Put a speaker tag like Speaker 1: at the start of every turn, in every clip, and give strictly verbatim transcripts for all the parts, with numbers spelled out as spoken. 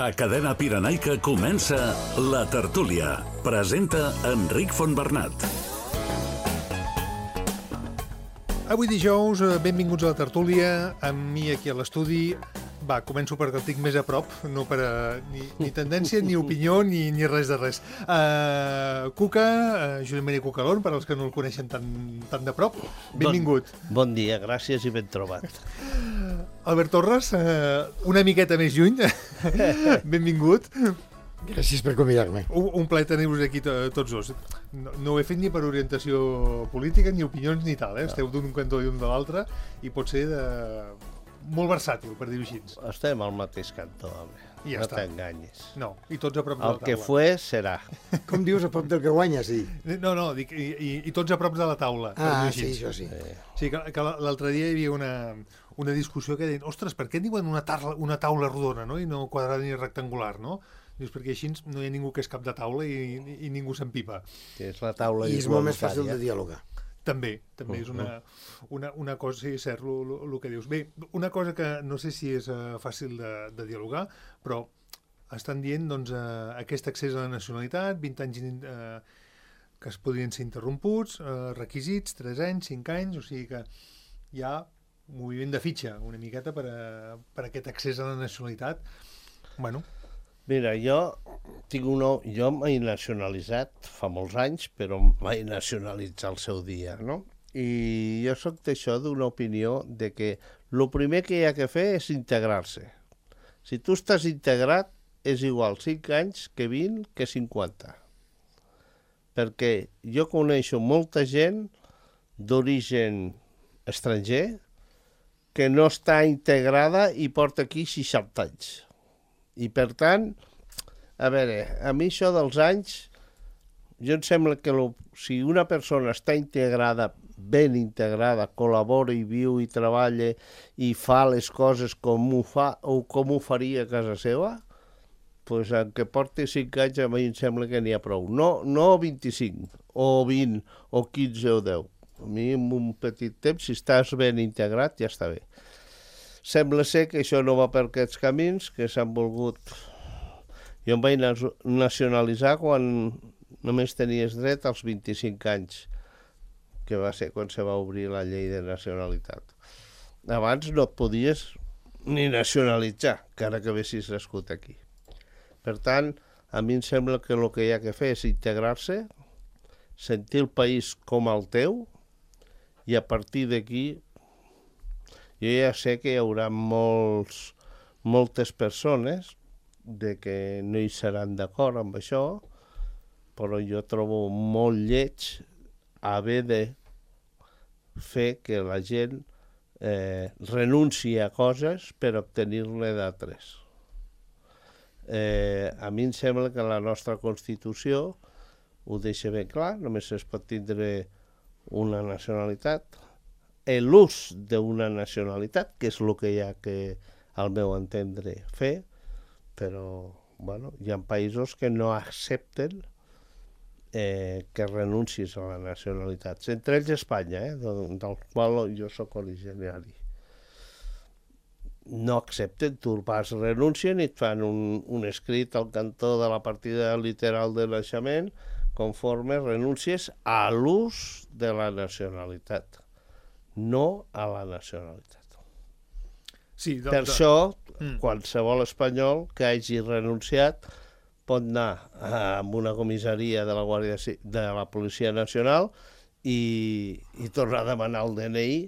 Speaker 1: A Cadena Pirenaica comença La Tertúlia. Presenta Enric Fontbernat.
Speaker 2: Avui dijous, benvinguts a La Tertúlia, amb mi aquí a l'estudi. Va, començo perquè el tinc més a prop, no per a, ni, ni tendència, ni opinió, ni, ni res de res. Uh, Cuca, uh, Josep Maria Cucalón, per als que no el coneixen tan, tan de prop, benvingut.
Speaker 3: Bon, bon dia, gràcies i ben trobat.
Speaker 2: Albert Torres, uh, una miqueta més lluny, benvingut.
Speaker 4: Gràcies per convidar-me.
Speaker 2: Un, un plaer tenir-vos aquí to, tots dos. No, no ho he fet ni per orientació política, ni opinions, ni tal, eh? Esteu d'un cantó i un de l'altre, i pot ser de... molt versàtil, per dir-ho així.
Speaker 3: Estem al mateix cantó, home.
Speaker 2: I ja
Speaker 3: no
Speaker 2: està.
Speaker 3: t'enganyis.
Speaker 2: No, i tots a prop de la
Speaker 3: El
Speaker 2: taula.
Speaker 3: que fue, serà.
Speaker 4: Com dius, a prop del que guanya, sí.
Speaker 2: No, no, dic, i, i, i tots a prop de la taula. per
Speaker 4: Ah,
Speaker 2: dir-ho
Speaker 4: sí,
Speaker 2: així.
Speaker 4: això sí.
Speaker 3: Eh,
Speaker 2: Sí, que, que l'altre dia hi havia una, una discussió que deien, ostres, per què en diuen una, taula, una taula rodona, no? I no quadrada ni rectangular, no? Dius, perquè així no hi ha ningú que és cap de taula i, i, i ningú s'empipa.
Speaker 3: que és la taula
Speaker 4: I és molt més fàcil de
Speaker 3: igualitària.
Speaker 4: dialogar.
Speaker 2: També, també és una, una, una cosa, sí, és cert, el que dius. Bé, una cosa que no sé si és uh, fàcil de, de dialogar, però estan dient, doncs, uh, aquest accés a la nacionalitat, vint anys uh, que es podrien ser interromputs, uh, requisits, tres anys, cinc anys, o sigui que hi ha un moviment de fitxa, una miqueta, per, a, per a aquest accés a la nacionalitat. Bueno,
Speaker 3: Mira, jo tinc una... Jo m'he nacionalitzat fa molts anys, però em vaig nacionalitzar al seu dia, no? I jo soc d'això d'una opinió de que el primer que hi ha que fer és integrar-se. Si tu estàs integrat, és igual cinc anys que vint que cinquanta. Perquè jo coneixo molta gent d'origen estranger que no està integrada i porta aquí seixanta anys. I per tant, a veure, a mi això dels anys, jo em sembla que lo, si una persona està integrada, ben integrada, col·labora i viu i treballa i fa les coses com ho fa o com ho faria a casa seva, doncs en què porti cinc anys a mi em sembla que n'hi ha prou. No, no vint-i-cinc, o vint, o quinze o deu. A mi en un petit temps, si estàs ben integrat, ja està bé. Sembla ser que això no va per aquests camins, que s'han volgut... Jo em vaig nacionalitzar quan només tenies dret als vint-i-cinc anys, que va ser quan se va obrir la llei de nacionalitat. Abans no et podies ni nacionalitzar, encara que haguessis nascut aquí. Per tant, a mi em sembla que el que hi ha que fer és integrar-se, sentir el país com el teu, i a partir d'aquí jo ja sé que hi haurà molts, moltes persones de que no hi seran d'acord amb això, però jo trobo molt lleig haver de fer que la gent eh, renunci a coses per obtenir-ne d'altres. Eh, a mi em sembla que la nostra Constitució ho deixa ben clar, només es pot tindre una nacionalitat, l'ús d'una nacionalitat, que és el que hi ha que, al meu entendre, fer, però bueno, hi ha països que no accepten eh, que renuncis a la nacionalitat. Entre ells Espanya, eh, del, del qual jo sóc originari. No accepten, tu vas, renuncien i et fan un, un escrit al cantó de la partida literal de naixement conforme renuncies a l'ús de la nacionalitat, no a la nacionalitat.
Speaker 2: sí, de,
Speaker 3: Per
Speaker 2: de...
Speaker 3: això,
Speaker 2: Mm.
Speaker 3: qualsevol espanyol que hagi renunciat pot anar a una comissaria de la Guàrdia Ci- de la Policia Nacional i, i tornar a demanar el D N I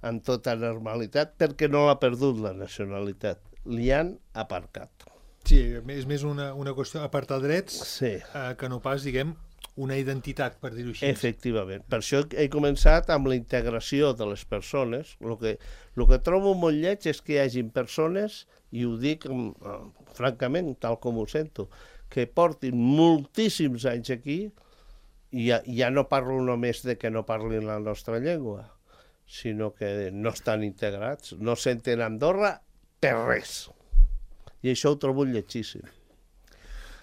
Speaker 3: en tota normalitat perquè no l'ha perdut la nacionalitat. Li han aparcat.
Speaker 2: Sí, és més una, una qüestió apartar drets
Speaker 3: Sí.
Speaker 2: eh, que no pas, diguem, una identitat, per dir-ho així.
Speaker 3: Efectivament. Per això he començat amb la integració de les persones. El que, el que trobo molt lleig és que hi hagin persones, i ho dic eh, francament, tal com ho sento, que portin moltíssims anys aquí i ja, ja no parlo només de que no parlin la nostra llengua, sinó que no estan integrats, no senten Andorra per res. I això ho trobo lletgíssim.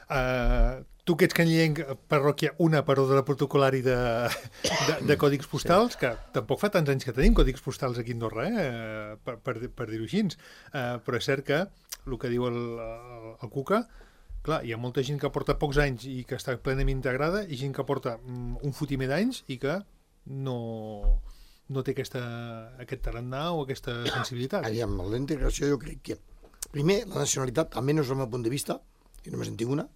Speaker 2: Uh, tu que ets canyenc, parròquia, una per ordre protocolari de, de, de còdigs postals, que tampoc fa tants anys que tenim còdigs postals aquí a Andorra, eh? per, per, per dir-ho així, uh, però és cert que el que diu el, el, el Cuca, clar, hi ha molta gent que porta pocs anys i que està plenament integrada i gent que porta mm, un fotimer d'anys i que no, no té aquesta, aquest tarannà o aquesta sensibilitat.
Speaker 4: Aviam, la integració jo crec que... Primer, la nacionalitat, almenys del meu punt de vista, jo només en tinc una,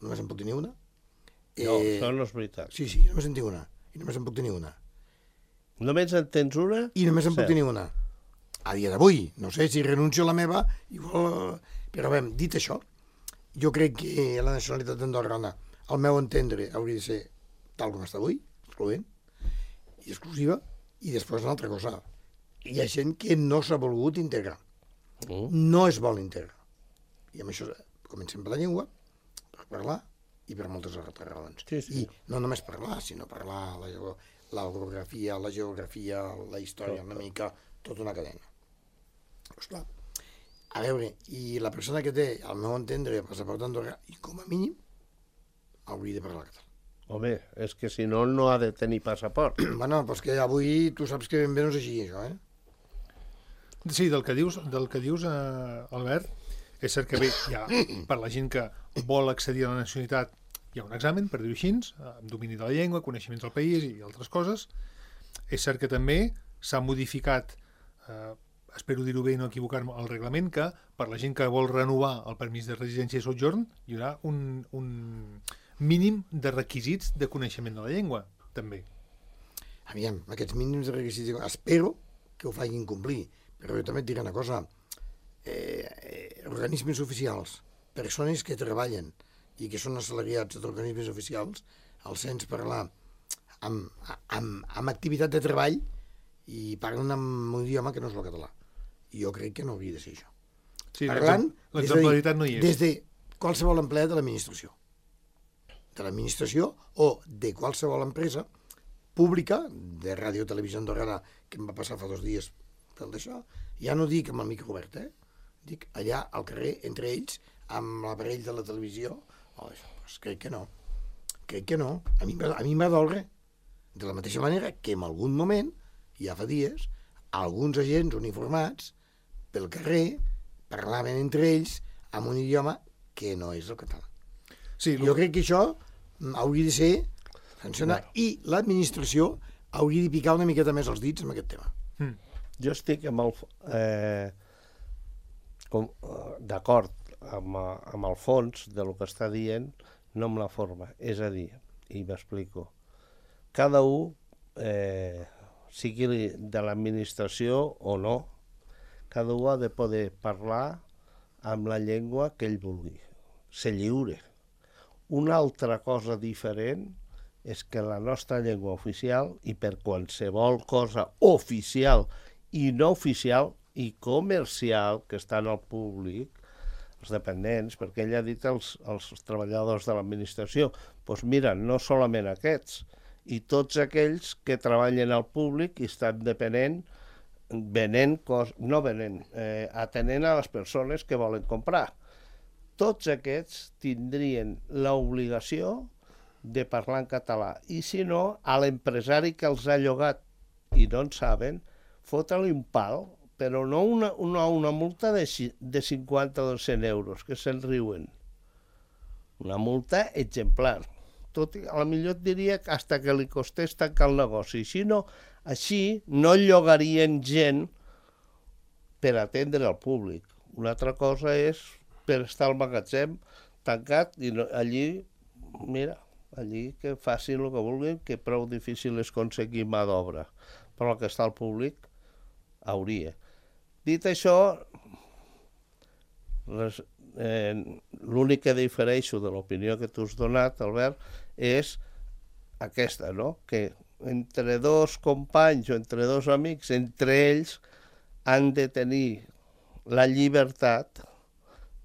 Speaker 4: només en puc tenir una.
Speaker 3: No, eh... això no és veritat.
Speaker 4: Sí, sí, només en tinc una, i només en puc tenir una.
Speaker 3: Només en tens una?
Speaker 4: I només en
Speaker 3: sí.
Speaker 4: puc tenir una. A dia d'avui, no sé si renuncio a la meva, igual... Però bé, dit això, jo crec que la nacionalitat andorrana, al meu entendre, hauria de ser tal com està avui, excloent, i exclusiva, i després una altra cosa. Hi ha gent que no s'ha volgut integrar. Mm. No es vol integrar. I amb això comencem per la llengua, per parlar, i per moltes altres raons.
Speaker 3: Sí, sí.
Speaker 4: I no només parlar, sinó parlar la, la geografia, la geografia, la història, una mica, tota una cadena. Esclar, a veure, i la persona que té, al meu entendre, passaport andorrà, i com a mínim, hauria de parlar català.
Speaker 3: Home, és que si no, no ha de tenir passaport.
Speaker 4: Bueno, doncs que avui tu saps que ben bé no és així, això, eh?
Speaker 2: Sí, del que dius, del que dius eh, Albert, és cert que bé, ja, per la gent que vol accedir a la nacionalitat, hi ha un examen, per dir-ho així, amb domini de la llengua, coneixements del país i altres coses. És cert que també s'ha modificat, eh, espero dir-ho bé i no equivocar-me, el reglament, que per la gent que vol renovar el permís de residència i sotjorn hi haurà un, un mínim de requisits de coneixement de la llengua, també.
Speaker 4: Aviam, aquests mínims de requisits, espero que ho facin complir, però jo també et diré una cosa, eh, eh, organismes oficials, persones que treballen i que són assalariats d'organismes oficials, els sents parlar amb, amb, amb activitat de treball i parlen amb un idioma que no és el català. Jo crec que no hauria de ser això.
Speaker 2: Sí,
Speaker 4: parlant
Speaker 2: l'exemplaritat no hi és.
Speaker 4: Des de qualsevol empleat de l'administració. De l'administració o de qualsevol empresa pública, de ràdio, televisió andorrana, que em va passar fa dos dies pel d'això, ja no dic amb el micro obert, eh? Dic allà al carrer, entre ells, amb l'aparell de la televisió. Oh, doncs crec que no. Crec que no. A mi, a mi m'ha dolre. De la mateixa manera que en algun moment, ja fa dies, alguns agents uniformats pel carrer parlaven entre ells amb un idioma que no és el català.
Speaker 2: Sí,
Speaker 4: jo crec que això hauria de ser sancionat bueno. I l'administració hauria de picar una miqueta més els dits amb aquest tema.
Speaker 2: Mm.
Speaker 3: Jo estic amb el, eh, com, d'acord amb, amb el fons de lo que està dient, no amb la forma. És a dir, i m'explico, cada un, eh, sigui de l'administració o no, cada un ha de poder parlar amb la llengua que ell vulgui, ser lliure. Una altra cosa diferent és que la nostra llengua oficial, i per qualsevol cosa oficial i no oficial i comercial que està en el públic, els dependents, perquè ell ha dit els, els treballadors de l'administració, doncs mira, no solament aquests, i tots aquells que treballen al públic i estan depenent, venent, cos, no venent, eh, atenent a les persones que volen comprar. Tots aquests tindrien l'obligació de parlar en català. I si no, a l'empresari que els ha llogat i no en saben, fotre-li un pal, però no una, una, una multa de, de cinquanta o cent euros, que se'n riuen. Una multa exemplar. Tot, a la millor et diria que hasta que li costés tancar el negoci. Si no, així no llogarien gent per atendre el públic. Una altra cosa és per estar al magatzem tancat i no, allí, mira, allí que facin el que vulguin, que prou difícil és aconseguir mà d'obra. Però el que està al públic hauria. Dit això, res, eh, l'únic que difereixo de l'opinió que tu has donat, Albert, és aquesta, no? Que entre dos companys o entre dos amics, entre ells, han de tenir la llibertat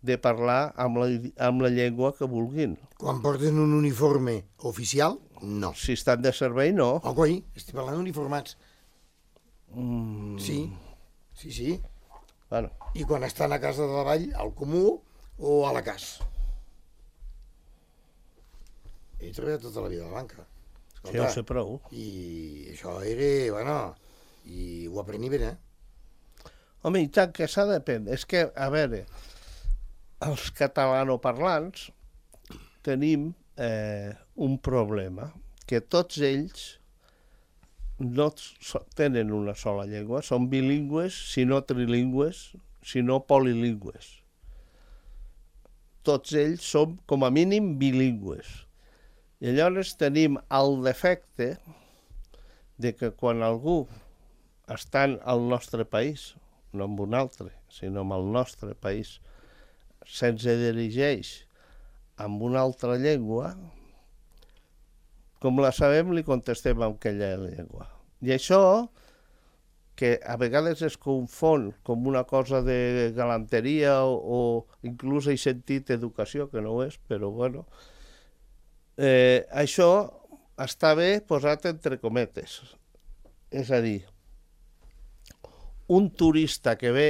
Speaker 3: de parlar amb la, amb la llengua que vulguin.
Speaker 4: Quan porten un uniforme oficial, no.
Speaker 3: Si estan de servei, no.
Speaker 4: Oh, coi, estic parlant d'uniformats.
Speaker 3: Mm.
Speaker 4: Sí, sí, sí.
Speaker 3: Bueno.
Speaker 4: I quan estan a casa de la vall, al comú o a la casa. He treballat tota la vida a la banca. Escolta,
Speaker 3: sí, ho sé prou.
Speaker 4: I això era, bueno, i ho aprení bé, eh?
Speaker 3: Home, i tant, que s'ha d'aprendre. És que, a veure, els catalanoparlants tenim eh, un problema, que tots ells no tenen una sola llengua, són bilingües, si no trilingües, si no polilingües. Tots ells som, com a mínim, bilingües. I llavors tenim el defecte de que quan algú està al nostre país, no en un altre, sinó en el nostre país, se'ns dirigeix amb una altra llengua, com la sabem, li contestem amb aquella llengua. I això, que a vegades es confon com una cosa de galanteria o, o inclús he sentit educació, que no ho és, però bueno, eh, això està bé posat entre cometes. És a dir, un turista que ve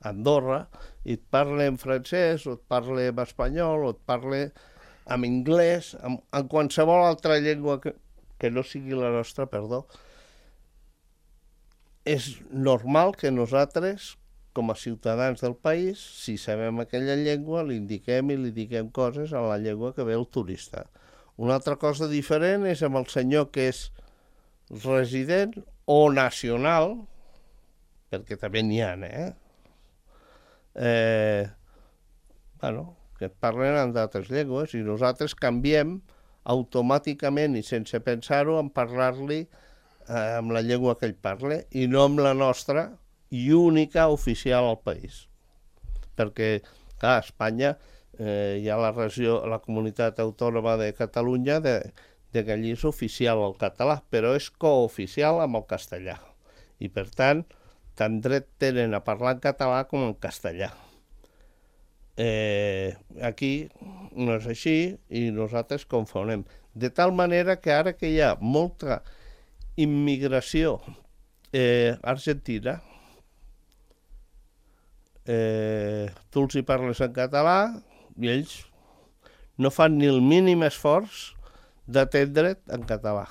Speaker 3: a Andorra i et parla en francès, o et parla en espanyol, o et parla en anglès, en, en qualsevol altra llengua que, que no sigui la nostra, perdó, és normal que nosaltres, com a ciutadans del país, si sabem aquella llengua, li indiquem i li diguem coses en la llengua que ve el turista. Una altra cosa diferent és amb el senyor que és resident o nacional, perquè també n'hi ha, eh? eh bueno, que et parlen en d'altres llengües i nosaltres canviem automàticament i sense pensar-ho en parlar-li eh, amb la llengua que ell parla i no amb la nostra i única oficial al país. Perquè, clar, a Espanya eh, hi ha la regió, la comunitat autònoma de Catalunya de, de que allí és oficial el català, però és cooficial amb el castellà. I, per tant, tant dret tenen a parlar en català com en castellà. Eh, aquí no és així i nosaltres confonem. De tal manera que ara que hi ha molta immigració eh, argentina, eh, tu els hi parles en català i ells no fan ni el mínim esforç d'atendre't en català.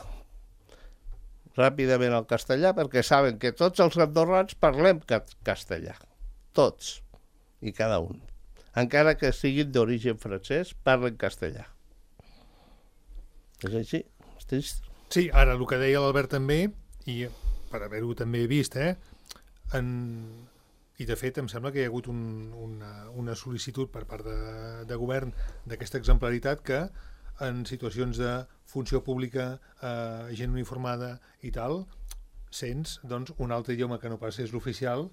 Speaker 3: Ràpidament al castellà, perquè saben que tots els andorrans parlem castellà. Tots i cada un. Encara que siguin d'origen francès, parlen castellà. És així, és trist.
Speaker 2: Sí, ara el que deia l'Albert també, i per haver-ho també vist, eh, en... i de fet em sembla que hi ha hagut un, una, una sol·licitud per part de, de govern d'aquesta exemplaritat que en situacions de funció pública, eh, gent uniformada i tal, sents doncs, un altre idioma que no pas és l'oficial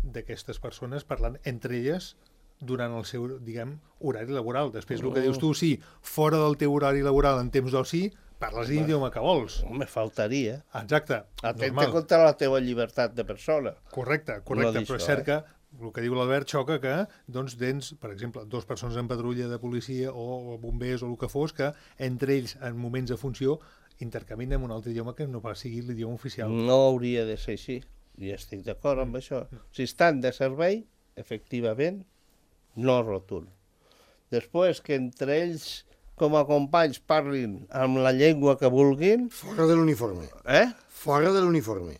Speaker 2: d'aquestes persones parlant entre elles durant el seu, diguem, horari laboral. Després, el que dius tu, sí, fora del teu horari laboral en temps d'oci, parles l'idioma que vols.
Speaker 3: Me faltaria.
Speaker 2: Exacte.
Speaker 3: Atenta contra la teva llibertat de persona.
Speaker 2: Correcte, correcte, no però és cert que el que diu l'Albert xoca que, doncs, tens, per exemple, dues persones en patrulla de policia o bombers o el que fos, que entre ells, en moments de funció, intercanvien amb un altre idioma que no pas sigui l'idioma oficial.
Speaker 3: No hauria de ser així, i estic d'acord amb això. Si estan de servei, efectivament, no rotund. Després, que entre ells, com a companys, parlin amb la llengua que vulguin...
Speaker 4: Fora de l'uniforme.
Speaker 3: Eh?
Speaker 4: Fora de l'uniforme.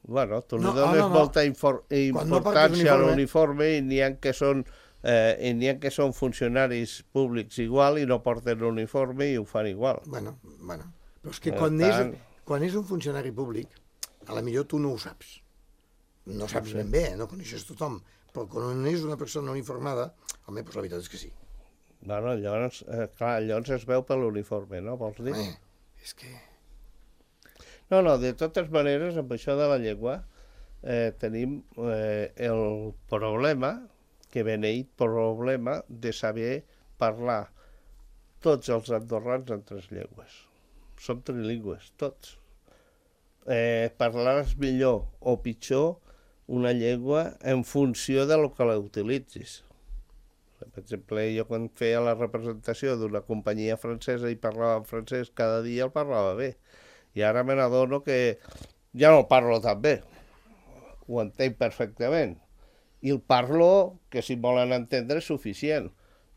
Speaker 3: Bueno, tu li
Speaker 4: No,
Speaker 3: dones
Speaker 4: no, no.
Speaker 3: molta infor
Speaker 4: Quan no
Speaker 3: importància
Speaker 4: portes
Speaker 3: a
Speaker 4: uniforme-
Speaker 3: l'uniforme i n'hi ha que són eh, i n'hi ha que són funcionaris públics igual i no porten l'uniforme i ho fan igual.
Speaker 4: Bueno, bueno. Però és que
Speaker 3: Per
Speaker 4: quan,
Speaker 3: tant-
Speaker 4: és, quan és un funcionari públic, a la millor tu no ho saps. No saps ben bé, no coneixes tothom. Però quan és una persona uniformada, home, doncs la veritat és que sí.
Speaker 3: Bueno, llavors, eh, clar, llavors es veu per l'uniforme, no? Vols dir?
Speaker 4: Eh, és que...
Speaker 3: No, no, de totes maneres, amb això de la llengua, eh, tenim eh, el problema, que beneït problema, de saber parlar tots els andorrans en tres llengües. Som trilingües, tots. Eh, parlaràs millor o pitjor una llengua en funció de lo que la utilitzis. Per exemple, jo quan feia la representació d'una companyia francesa i parlava en francès, cada dia el parlava bé. I ara me n'adono que ja no el parlo tan bé. Ho entenc perfectament. I el parlo, que si volen entendre, és suficient.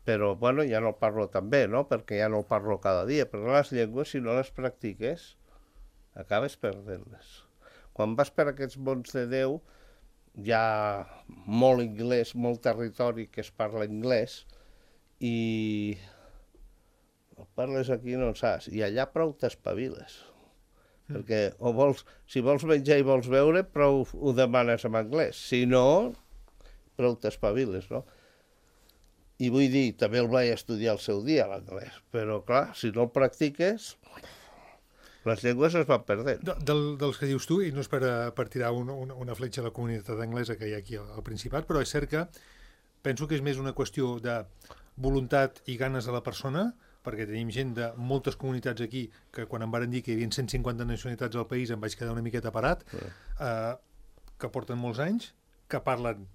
Speaker 3: Però, bueno, ja no el parlo tan bé, no? Perquè ja no el parlo cada dia. Però les llengües, si no les practiques, acabes perdent-les. Quan vas per aquests mons de Déu, hi ha molt anglès, molt territori que es parla anglès i el parles aquí no en saps, i allà prou t'espaviles. Mm. Perquè o vols, si vols menjar i vols beure, prou ho demanes en anglès. Si no, prou t'espaviles, no? I vull dir, també el vaig estudiar al seu dia, l'anglès, però clar, si no el practiques, les llengües es van perdent.
Speaker 2: De, del, dels que dius tu, i no és per, per tirar una, una, una fletxa a la comunitat anglesa que hi ha aquí al, al Principat, però és cert que penso que és més una qüestió de voluntat i ganes de la persona, perquè tenim gent de moltes comunitats aquí que quan em varen dir que hi havia cent cinquanta nacionalitats al país em vaig quedar una miqueta parat, sí. eh, que porten molts anys, que parlen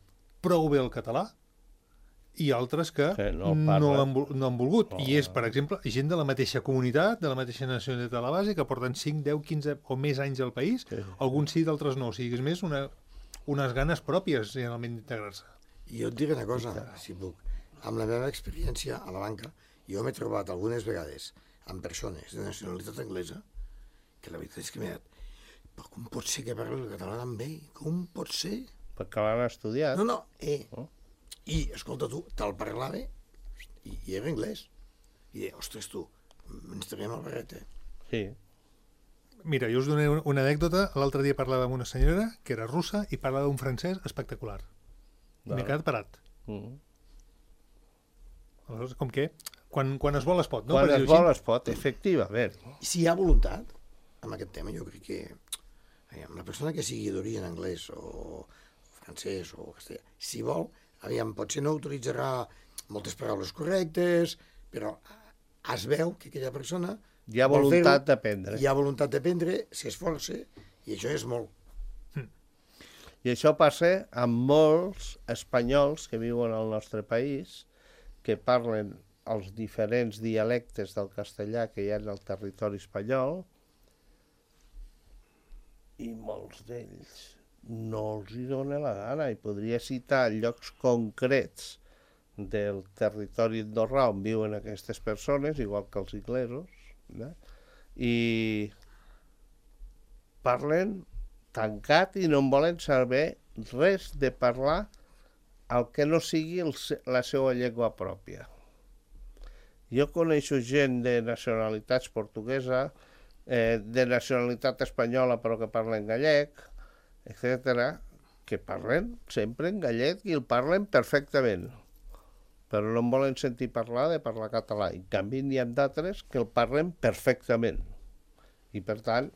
Speaker 2: prou bé el català, i altres que
Speaker 3: sí, no,
Speaker 2: no, han, no han volgut.
Speaker 3: Oh.
Speaker 2: I és, per exemple, gent de la mateixa comunitat, de la mateixa nacionalitat a la base, que porten cinc, deu, quinze o més anys al país, sí. Alguns sí, d'altres no. O sigui, és més una, unes ganes pròpies, generalment, d'integrar-se.
Speaker 4: I jo et diré una cosa, si puc. Amb la meva experiència a la banca, jo m'he trobat algunes vegades amb persones de nacionalitat anglesa que la veritat és que m'he dit, però com pot ser que parli el català tan bé? Com pot ser?
Speaker 3: Perquè l'han estudiat.
Speaker 4: No, no, eh... Oh. I, escolta, tu, te'l parlava i, i era anglès. I deia, ostres, tu, ens traiem el barret, eh?
Speaker 3: Sí.
Speaker 2: Mira, jo us donaré una anècdota. L'altre dia parlava amb una senyora que era russa i parlava un francès espectacular. M'he quedat parat. Mm -hmm. Aleshores, com que quan, quan es vol es pot, no?
Speaker 3: Quan es vol es pot, efectivament.
Speaker 4: Si hi ha voluntat, amb aquest tema, jo crec que aviam, la persona que sigui d'origen anglès o francès o castellà, si vol, aviam, potser no utilitzarà moltes paraules correctes, però es veu que aquella persona...
Speaker 3: Hi ha voluntat d'aprendre.
Speaker 4: Hi ha voluntat d'aprendre, s'esforça, i això és molt.
Speaker 3: Mm. I això passa amb molts espanyols que viuen al nostre país, que parlen els diferents dialectes del castellà que hi ha en el territori espanyol, i molts d'ells no els hi dona la gana, i podria citar llocs concrets del territori andorrà on viuen aquestes persones, igual que els inglesos, no? I parlen tancat i no en volen saber res de parlar el que no sigui el, la seva llengua pròpia. Jo coneixo gent de nacionalitats portuguesa, eh, de nacionalitat espanyola però que parlen gallec, etcètera, que parlen sempre en gallec i el parlen perfectament, però no en volen sentir parlar de parlar català. En canvi, n'hi ha d'altres que el parlen perfectament. I, per tant,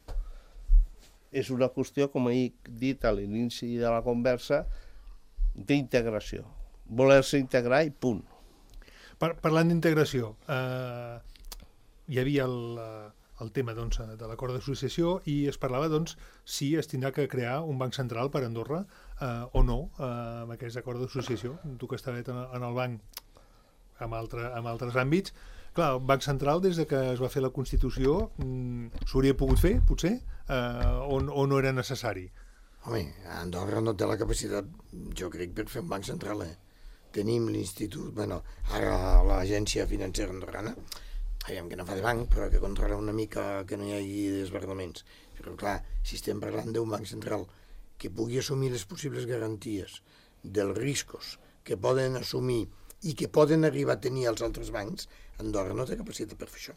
Speaker 3: és una qüestió, com he dit a l'inici de la conversa, d'integració. Voler-se integrar i punt.
Speaker 2: Par Parlant d'integració, eh, hi havia el... Uh... el tema doncs, de l'acord d'associació i es parlava doncs, si es tindrà que crear un banc central per Andorra eh, o no eh, amb aquest acord d'associació. Tu que estaves en, en el banc amb, altre, amb altres àmbits, clar, el banc central des de que es va fer la Constitució mm, s'hauria pogut fer, potser, eh, o, o no era necessari?
Speaker 4: Home, Andorra no té la capacitat, jo crec, per fer un banc central. Eh? Tenim l'institut, bueno, ara l'agència financera andorrana, aviam, que no fa de banc, però que controla una mica que no hi hagi desbordaments. Però clar, si estem parlant d'un banc central que pugui assumir les possibles garanties dels riscos que poden assumir i que poden arribar a tenir els altres bancs, Andorra no té capacitat per fer això.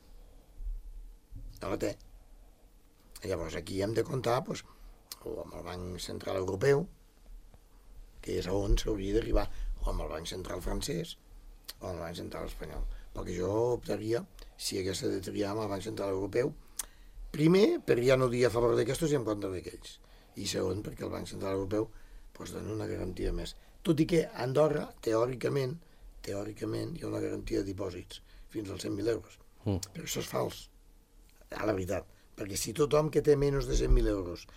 Speaker 4: No la té. Llavors aquí hem de comptar doncs, o amb el Banc Central Europeu, que és on s'hauria d'arribar, o amb el Banc Central Francès, o amb el Banc Central Espanyol. Perquè jo optaria, si hagués de triar amb el Banc Central Europeu, primer, per ja no dir a favor d'aquestos i en contra d'aquells. I segon, perquè el Banc Central Europeu doncs, dona una garantia més. Tot i que a Andorra, teòricament, teòricament hi ha una garantia de dipòsits fins als cent mil euros. Mm. Però això és fals, a la veritat. Perquè si tothom que té menys de cent mil euros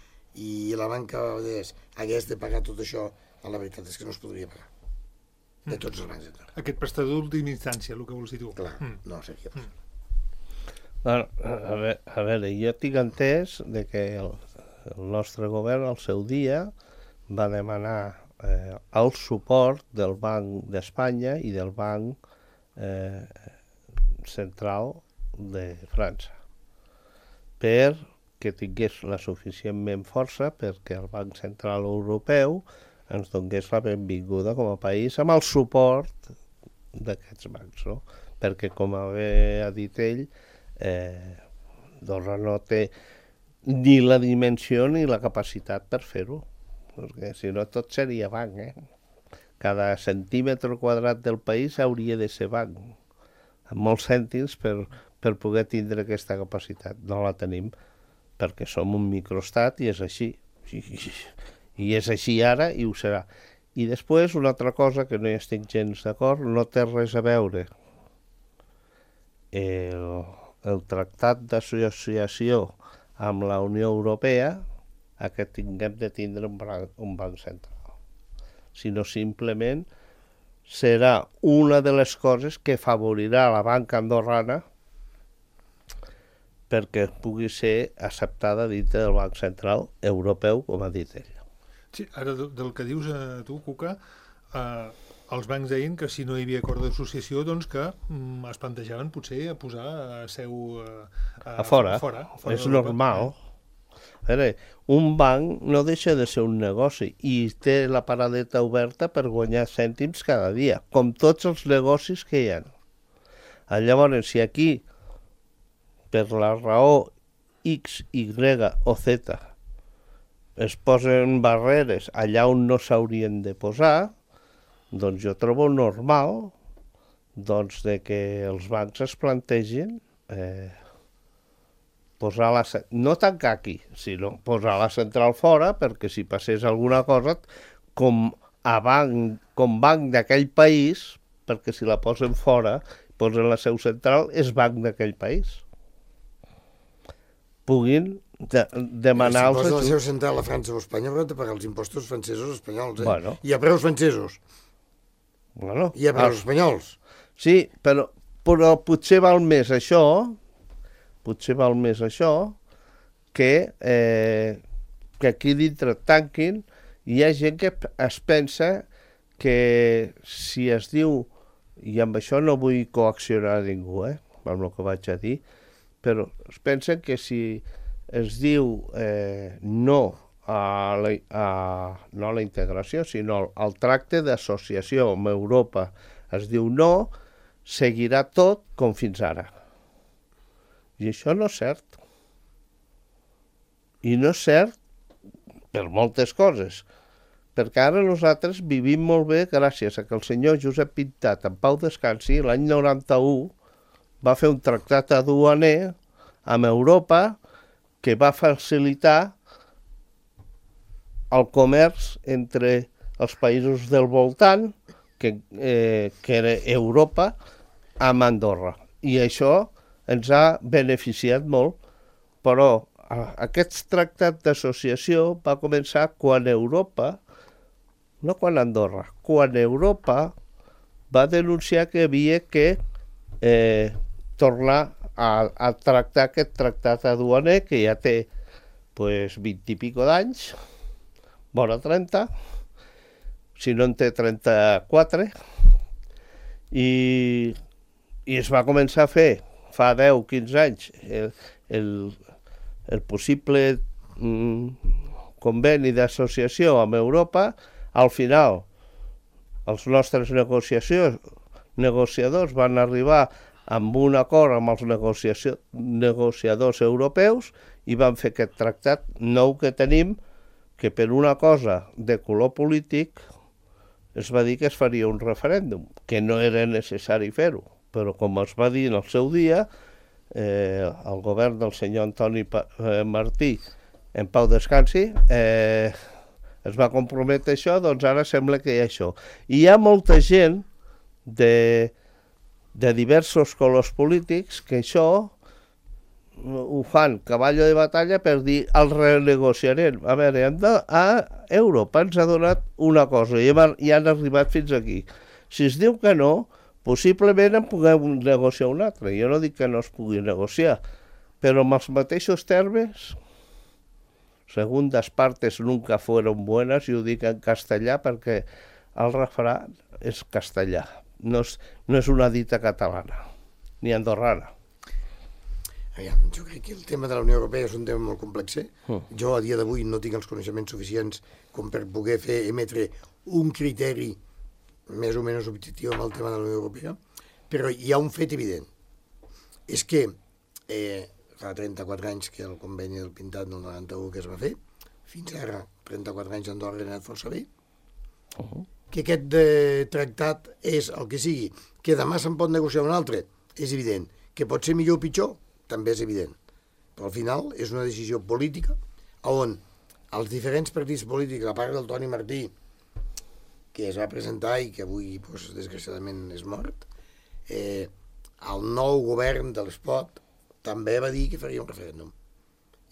Speaker 4: i la banca hagués de pagar tot això, a la veritat és que no es podria pagar. De tots els bancs d'Andorra.
Speaker 2: Aquest prestador d'última instància, el que vols dir tu.
Speaker 4: Clar, mm. no seria possible.
Speaker 3: Mm. Bueno, a, veure, a veure, jo tinc entès de que el, el nostre govern al seu dia va demanar eh, el suport del Banc d'Espanya i del Banc eh, Central de França per que tingués la suficientment força perquè el Banc Central Europeu ens donés la benvinguda com a país amb el suport d'aquests bancs, no? Perquè, com ha dit ell, eh, Andorra no té ni la dimensió ni la capacitat per fer-ho, perquè si no tot seria banc, eh? Cada centímetre quadrat del país hauria de ser banc, amb molts cèntims per, per poder tindre aquesta capacitat. No la tenim perquè som un microestat i és així. I és així ara i ho serà. I després, una altra cosa que no hi estic gens d'acord, no té res a veure el, el tractat d'associació amb la Unió Europea a que tinguem de tindre un banc, un banc central, sinó simplement serà una de les coses que afavorirà la banca andorrana perquè pugui ser acceptada dintre del Banc Central Europeu, com ha dit ell.
Speaker 2: Sí, ara del que dius a tu, Cuca, eh, els bancs deien que si no hi havia acord d'associació, doncs que mm, es plantejaven potser a posar a seu a,
Speaker 3: a, a fora. A fora, a fora és normal. A veure, un banc no deixa de ser un negoci i té la paradeta oberta per guanyar cèntims cada dia, com tots els negocis que hi ha. Llavors, si aquí, per la raó X, Y o Z, es posen barreres allà on no s'haurien de posar, doncs jo trobo normal doncs, de que els bancs es plantegin eh, posar la, no tancar aquí, sinó posar la central fora, perquè si passés alguna cosa, com a banc, com banc d'aquell país, perquè si la posen fora, posen la seu central, és banc d'aquell país. Puguin de, demanar...
Speaker 4: Si posen la seu central a França o a Espanya, hauran de pagar els impostos francesos o espanyols, eh?
Speaker 3: Bueno.
Speaker 4: I a preus francesos.
Speaker 3: Bueno,
Speaker 4: I a preus espanyols.
Speaker 3: Sí, però, però potser val més això, potser val més això, que, eh, que aquí dintre tanquin. Hi ha gent que es pensa que si es diu, i amb això no vull coaccionar a ningú, eh, amb el que vaig a dir, però es pensen que si es diu eh, no a la, a, no a la integració, sinó al tracte d'associació amb Europa, es diu no, seguirà tot com fins ara. I això no és cert. I no és cert per moltes coses, perquè ara nosaltres vivim molt bé gràcies a que el senyor Josep Pintat, en pau descansi, l'any noranta-u, va fer un tractat aduaner amb Europa que va facilitar el comerç entre els països del voltant, que, eh, que era Europa, amb Andorra. I això ens ha beneficiat molt, però aquest tractat d'associació va començar quan Europa, no quan Andorra, quan Europa va denunciar que havia que eh, tornar a, a tractar aquest tractat aduaner que ja té pues, vint i pico d'anys, vora trenta, si no en té trenta-quatre, i, i es va començar a fer fa deu o quinze anys el, el, el possible mm, conveni d'associació amb Europa. Al final els nostres negociadors van arribar amb un acord amb els negociadors europeus i van fer aquest tractat nou que tenim, que per una cosa de color polític es va dir que es faria un referèndum, que no era necessari fer-ho, però com es va dir en el seu dia, eh, el govern del senyor Antoni pa- eh, Martí, en pau descansi, eh, es va comprometre això, doncs ara sembla que hi ha això. I hi ha molta gent de, de diversos colors polítics que això ho fan cavall de batalla per dir el renegociarem. A veure, a Europa ens ha donat una cosa i, hem, i han arribat fins aquí. Si es diu que no, possiblement en puguem negociar una altra. Jo no dic que no es pugui negociar, però amb els mateixos termes, segundas partes nunca fueron buenas, i ho dic en castellà perquè el refrà és castellà, no és, no és una dita catalana, ni andorrana.
Speaker 4: Aviam, jo crec que el tema de la Unió Europea és un tema molt complex. Jo a dia d'avui no tinc els coneixements suficients com per poder fer emetre un criteri més o menys objectiu amb el tema de la Unió Europea, però hi ha un fet evident. És que eh, fa trenta-quatre anys que el conveni del Pintat del noranta-u que es va fer, fins ara, trenta-quatre anys Andorra ha anat força bé, uh-huh. que aquest eh, tractat és el que sigui, que demà se'n pot negociar un altre, és evident. Que pot ser millor o pitjor, també és evident. Però al final és una decisió política on els diferents partits polítics, a part del Toni Martí, que es va presentar i que avui, doncs, desgraciadament, és mort, eh, el nou govern de l'Espot també va dir que faria un referèndum.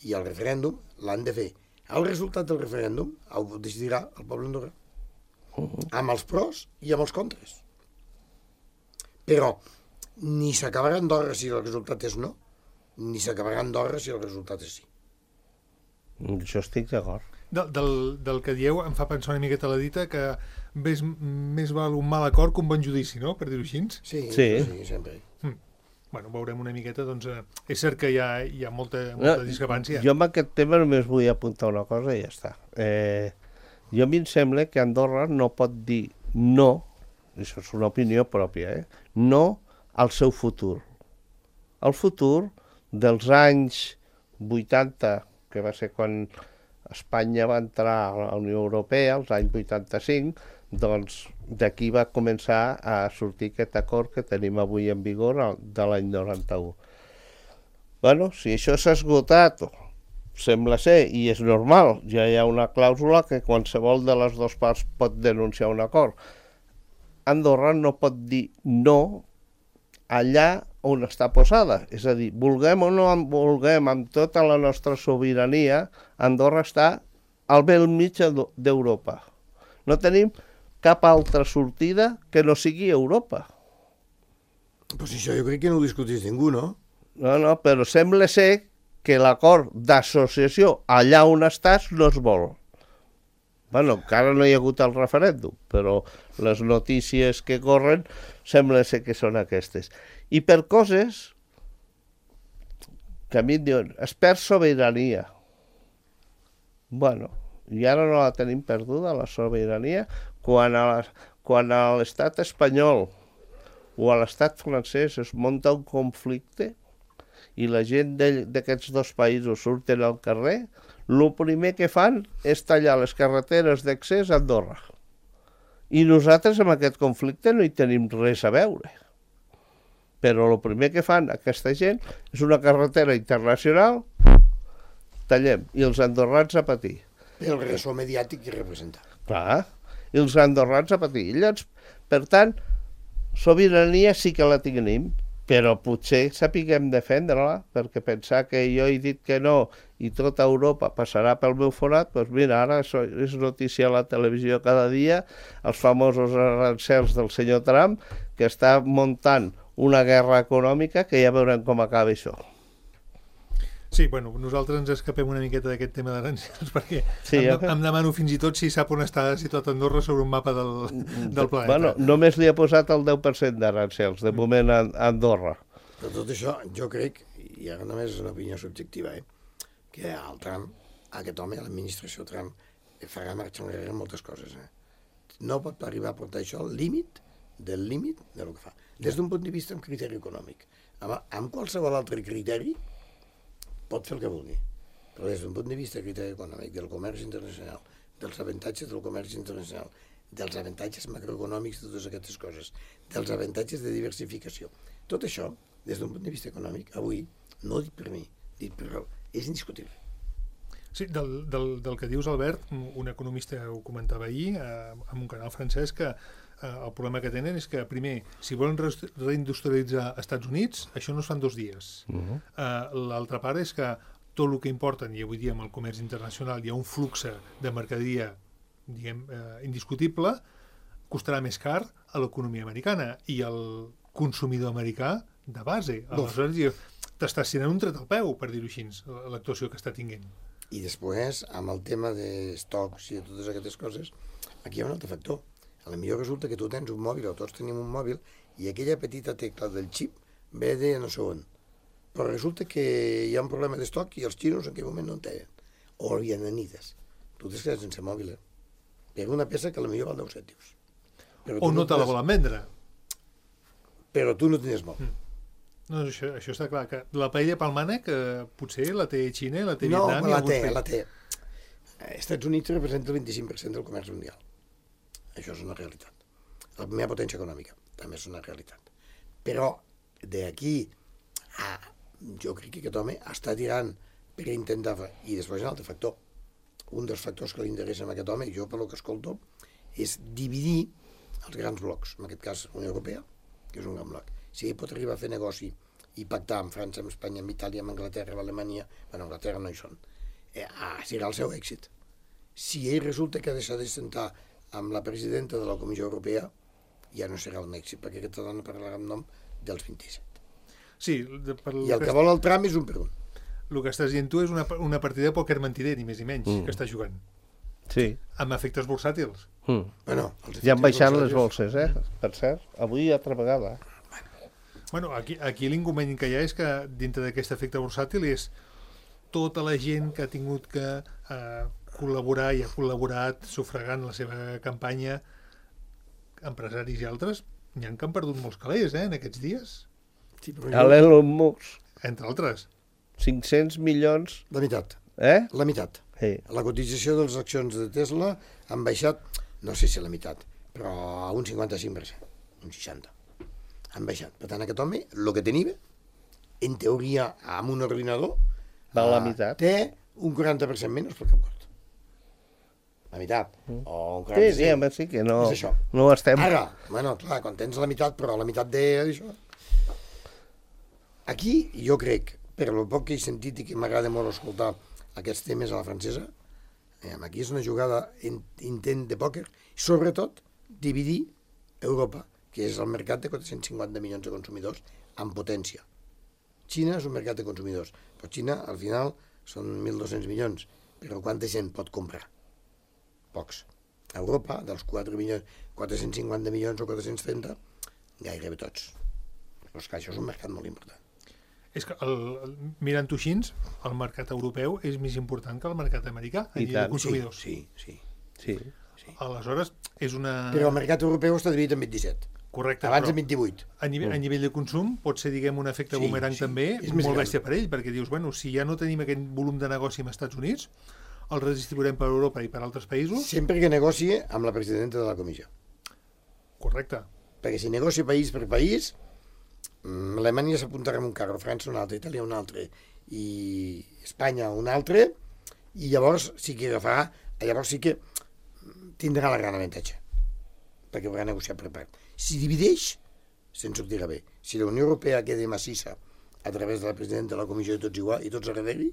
Speaker 4: I el referèndum l'han de fer. El resultat del referèndum el decidirà el poble andorrà. Uh-huh. Amb els pros i amb els contres. Però ni s'acabarà Andorra si el resultat és no, ni s'acabarà Andorra si el resultat és sí.
Speaker 3: Jo estic d'acord.
Speaker 2: Del, del, del que dieu em fa pensar una miqueta la dita que més, més val un mal acord que un bon judici, no?, per dir-ho així.
Speaker 4: Sí,
Speaker 3: sí.
Speaker 4: sí, sempre.
Speaker 2: Mm. Bueno, veurem una miqueta, doncs eh, és cert que hi ha, hi ha molta, molta
Speaker 3: no,
Speaker 2: discrepància.
Speaker 3: Jo amb aquest tema només vull apuntar una cosa i ja està. Eh, jo a mi em sembla que Andorra no pot dir no, això és una opinió pròpia, eh, no al seu futur. El futur dels anys vuitanta, que va ser quan Espanya va entrar a la Unió Europea, als anys vuitanta-cinc, doncs d'aquí va començar a sortir aquest acord que tenim avui en vigor de l'any noranta-u. Bueno, si això s'ha esgotat, sembla ser, i és normal, ja hi ha una clàusula que qualsevol de les dues parts pot denunciar un acord. Andorra no pot dir no allà on està posada. És a dir, vulguem o no vulguem, amb tota la nostra sobirania, Andorra està al bell mig d'Europa. No tenim cap altra sortida que no sigui Europa.
Speaker 4: Pues això jo crec que no ho discutís ningú, no?
Speaker 3: No, no, però sembla ser que l'acord d'associació allà on estàs no es vol. Bueno, encara no hi ha hagut el referèndum, però les notícies que corren sembla ser que són aquestes. I per coses que a mi em diuen, es perd sobirania. Bueno, i ara no la tenim perduda, la sobirania, quan a, la, quan a l'estat espanyol o a l'estat francès es munta un conflicte i la gent d'aquests dos països surten al carrer, el primer que fan és tallar les carreteres d'accés a Andorra. I nosaltres amb aquest conflicte no hi tenim res a veure. Però el primer que fan aquesta gent és una carretera internacional, tallem, i els andorrans a patir.
Speaker 4: El ressò mediàtic que representa.
Speaker 3: Clar, i els andorrans a patir. I llavors, per tant, sobirania sí que la tenim, però potser sapiguem defendre-la, perquè pensar que jo he dit que no i tota Europa passarà pel meu forat, doncs mira, ara és notícia a la televisió cada dia, els famosos arancels del senyor Trump, que està muntant una guerra econòmica que ja veurem com acaba això.
Speaker 2: Sí, bueno, nosaltres ens escapem una miqueta d'aquest tema d'arancels perquè sí, em, em demano fins i tot si sap on està situat Andorra sobre un mapa del, del planeta.
Speaker 3: Bueno, només li ha posat el deu per cent d'arancels, de moment a Andorra.
Speaker 4: Però tot això, jo crec, i ara només és una opinió subjectiva, eh, que el Trump, aquest home, l'administració Trump, farà marxar enrere moltes coses. Eh. No pot arribar a portar això al límit del límit del que fa. Des d'un punt de vista amb criteri econòmic. Amb, amb qualsevol altre criteri pot fer el que vulgui, però des d'un punt de vista criteri econòmic, del comerç internacional, dels avantatges del comerç internacional, dels avantatges macroeconòmics de totes aquestes coses, dels avantatges de diversificació. Tot això, des d'un punt de vista econòmic, avui, no dit per mi, dit per Raül, és indiscutible.
Speaker 2: Sí, del, del, del que dius, Albert, un economista ho comentava ahir eh, en un canal francès, que eh, el problema que tenen és que, primer, si volen re reindustrialitzar als Estats Units, això no es fa en dos dies. Uh-huh. eh, L'altra part és que tot el que importen, i avui dia amb el comerç internacional hi ha un flux de mercaderia, diguem, eh, indiscutible, costarà més car a l'economia americana i el consumidor americà de base. Aleshores, t'està sent un tret al peu, per dir-ho així, l'actuació que està tinguent.
Speaker 4: I després, amb el tema d'estocs i de totes aquestes coses, aquí hi ha un altre factor. A la millor resulta que tu tens un mòbil, o tots tenim un mòbil, i aquella petita tecla del xip ve de no sé on. però resulta que hi ha un problema d'estoc i els xinos en aquell moment no en tenen. O els vietnamites. Tu t'has quedat sense mòbil, eh? Per una peça que potser val deu cèntims.
Speaker 2: O no te la volen vendre.
Speaker 4: Però tu no tenies mòbil.
Speaker 2: Mm. No, això, això està clar, que la paella pel mànec eh, potser la té Xina, la té
Speaker 4: no,
Speaker 2: Vietnam...
Speaker 4: No, la té,
Speaker 2: països.
Speaker 4: la té. Els Estats Units representa el vint-i-cinc per cent del comerç mundial. Això és una realitat. La primera potència econòmica també és una realitat. Però d'aquí a... Jo crec que aquest home està tirant per intentar... I després un altre factor. Un dels factors que li interessa a aquest home, jo per lo que escolto, és dividir els grans blocs. En aquest cas, la Unió Europea, que és un gran bloc. Si ell pot arribar a fer negoci i pactar amb França, amb Espanya, amb Itàlia, amb Anglaterra, amb Alemanya... Bueno, Anglaterra no hi són. Eh, ah, serà el seu èxit. Si ell resulta que ha deixat de sentar amb la presidenta de la Comissió Europea, ja no serà un èxit, perquè aquesta dona parlarà en nom dels vint-i-set.
Speaker 2: Sí, de, per
Speaker 4: I el que, que vol el tram és un per un.
Speaker 2: El que estàs dient tu és una, una partida de pòquer mentider, ni més ni menys, mm. que està jugant.
Speaker 3: Sí.
Speaker 2: Amb efectes bursàtils.
Speaker 3: Mm.
Speaker 4: Bueno,
Speaker 3: ja han baixat les bolses, eh? Per cert, avui altra vegada.
Speaker 2: Bueno, aquí, aquí l'inconvenient que hi ha és que dintre d'aquest efecte bursàtil és tota la gent que ha tingut que eh, col·laborar i ha col·laborat sufragant la seva campanya, empresaris i altres, n'hi ha que han perdut molts calés, eh, en aquests dies.
Speaker 3: Sí, a l'Elon Musk.
Speaker 2: Entre altres.
Speaker 3: cinc-cents milions...
Speaker 4: La meitat.
Speaker 3: Eh?
Speaker 4: La meitat.
Speaker 3: Sí.
Speaker 4: La cotització de les accions de Tesla han baixat, no sé si a la meitat, però a un cinquanta-cinc per cent, un seixanta per cent. Han baixat. Per tant, aquest home, el que tenia, en teoria, amb un ordinador,
Speaker 3: val la meitat.
Speaker 4: Té un quaranta per cent menys pel cap cort. La meitat. Mm. O un quaranta per cent.
Speaker 3: Sí, sí, home, sí que no,
Speaker 4: és això.
Speaker 3: No estem...
Speaker 4: Ara, bueno, clar, quan tens la meitat, però la meitat de... Això. Aquí, jo crec, per lo poc que he sentit i que m'agrada molt escoltar aquests temes a la francesa, eh, aquí és una jugada in, intent de pòquer, sobretot dividir Europa, que és el mercat de quatre-cents cinquanta milions de consumidors amb potència. Xina és un mercat de consumidors, però Xina, al final, són mil dos-cents milions, però quanta gent pot comprar? Pocs. A Europa, dels quatre milions, quatre-cents cinquanta milions o quatre-cents trenta, gairebé tots. Però és que això és un mercat molt important.
Speaker 2: És que, el, el, mirant-ho així, el mercat europeu és més important que el mercat americà, a nivell de consumidors.
Speaker 4: Sí, sí,
Speaker 3: sí.
Speaker 2: sí. Aleshores, és una...
Speaker 4: Però el mercat europeu està dividit en vint-i-set.
Speaker 2: Correcte,
Speaker 4: abans de vint-i-vuit.
Speaker 2: A nivell, a nivell de consum pot ser, diguem, un efecte
Speaker 4: sí,
Speaker 2: bumerang
Speaker 4: sí,
Speaker 2: també molt bèstia per ell, perquè dius, bueno, si ja no tenim aquest volum de negoci amb els Estats Units, el redistribuirem per Europa i per altres països.
Speaker 4: Sempre que negoci amb la presidenta de la comissió.
Speaker 2: Correcte.
Speaker 4: Perquè si negocia país per país, Alemanya s'apuntarà en un carro, França un altre, Itàlia un altre, i Espanya un altre, i llavors sí que agafarà, llavors sí que tindrà la gran avantatge, perquè haurà negociat per part. Si divideix, se'n sortirà bé. Si la Unió Europea queda massissa a través de la presidenta de la comissió i tots igual, i tots a darrere...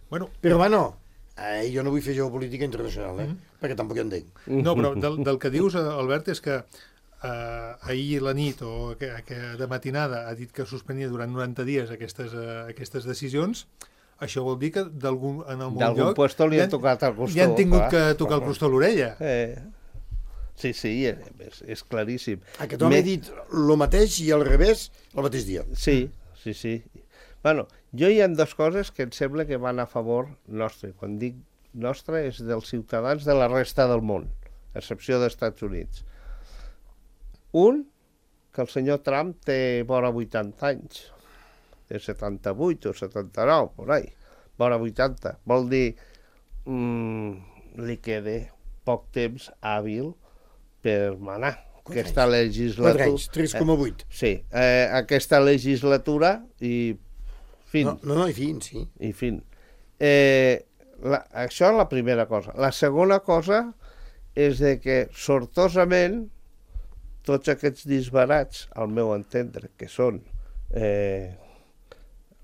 Speaker 2: Bueno,
Speaker 4: però, bueno, eh, jo no vull fer geopolítica internacional, eh? Mm-hmm. Perquè tampoc hi entenc.
Speaker 2: No, però del, del que dius, Albert, és que eh, ahir la nit o que, que de matinada ha dit que suspenia durant noranta dies aquestes, eh, aquestes decisions. Això vol dir que d'algun, en algun lloc...
Speaker 3: D'algun puesto li han tocat el costó.
Speaker 2: Li han tingut que tocar el costó a l'orella.
Speaker 3: Eh... Sí, sí, és, és claríssim.
Speaker 4: Aquest home Me... ha dit el mateix i al revés el mateix dia.
Speaker 3: Sí, sí, sí. Bueno, jo hi ha dues coses que em sembla que van a favor nostre. Quan dic nostre és dels ciutadans de la resta del món, a excepció dels Estats Units. Un, que el senyor Trump té vora vuitanta anys. Té setanta-vuit o setanta-nou, por ahí. Vora vuitanta. Vol dir, mmm, li queda poc temps hàbil per manar. Aquesta legislatura...
Speaker 4: quatre anys, tres coma vuit.
Speaker 3: Eh, sí, eh, aquesta legislatura i fin.
Speaker 4: No, no, no i fin, sí.
Speaker 3: I fin. Eh, la, això és la primera cosa. La segona cosa és de que, sortosament, tots aquests disbarats, al meu entendre, que són eh,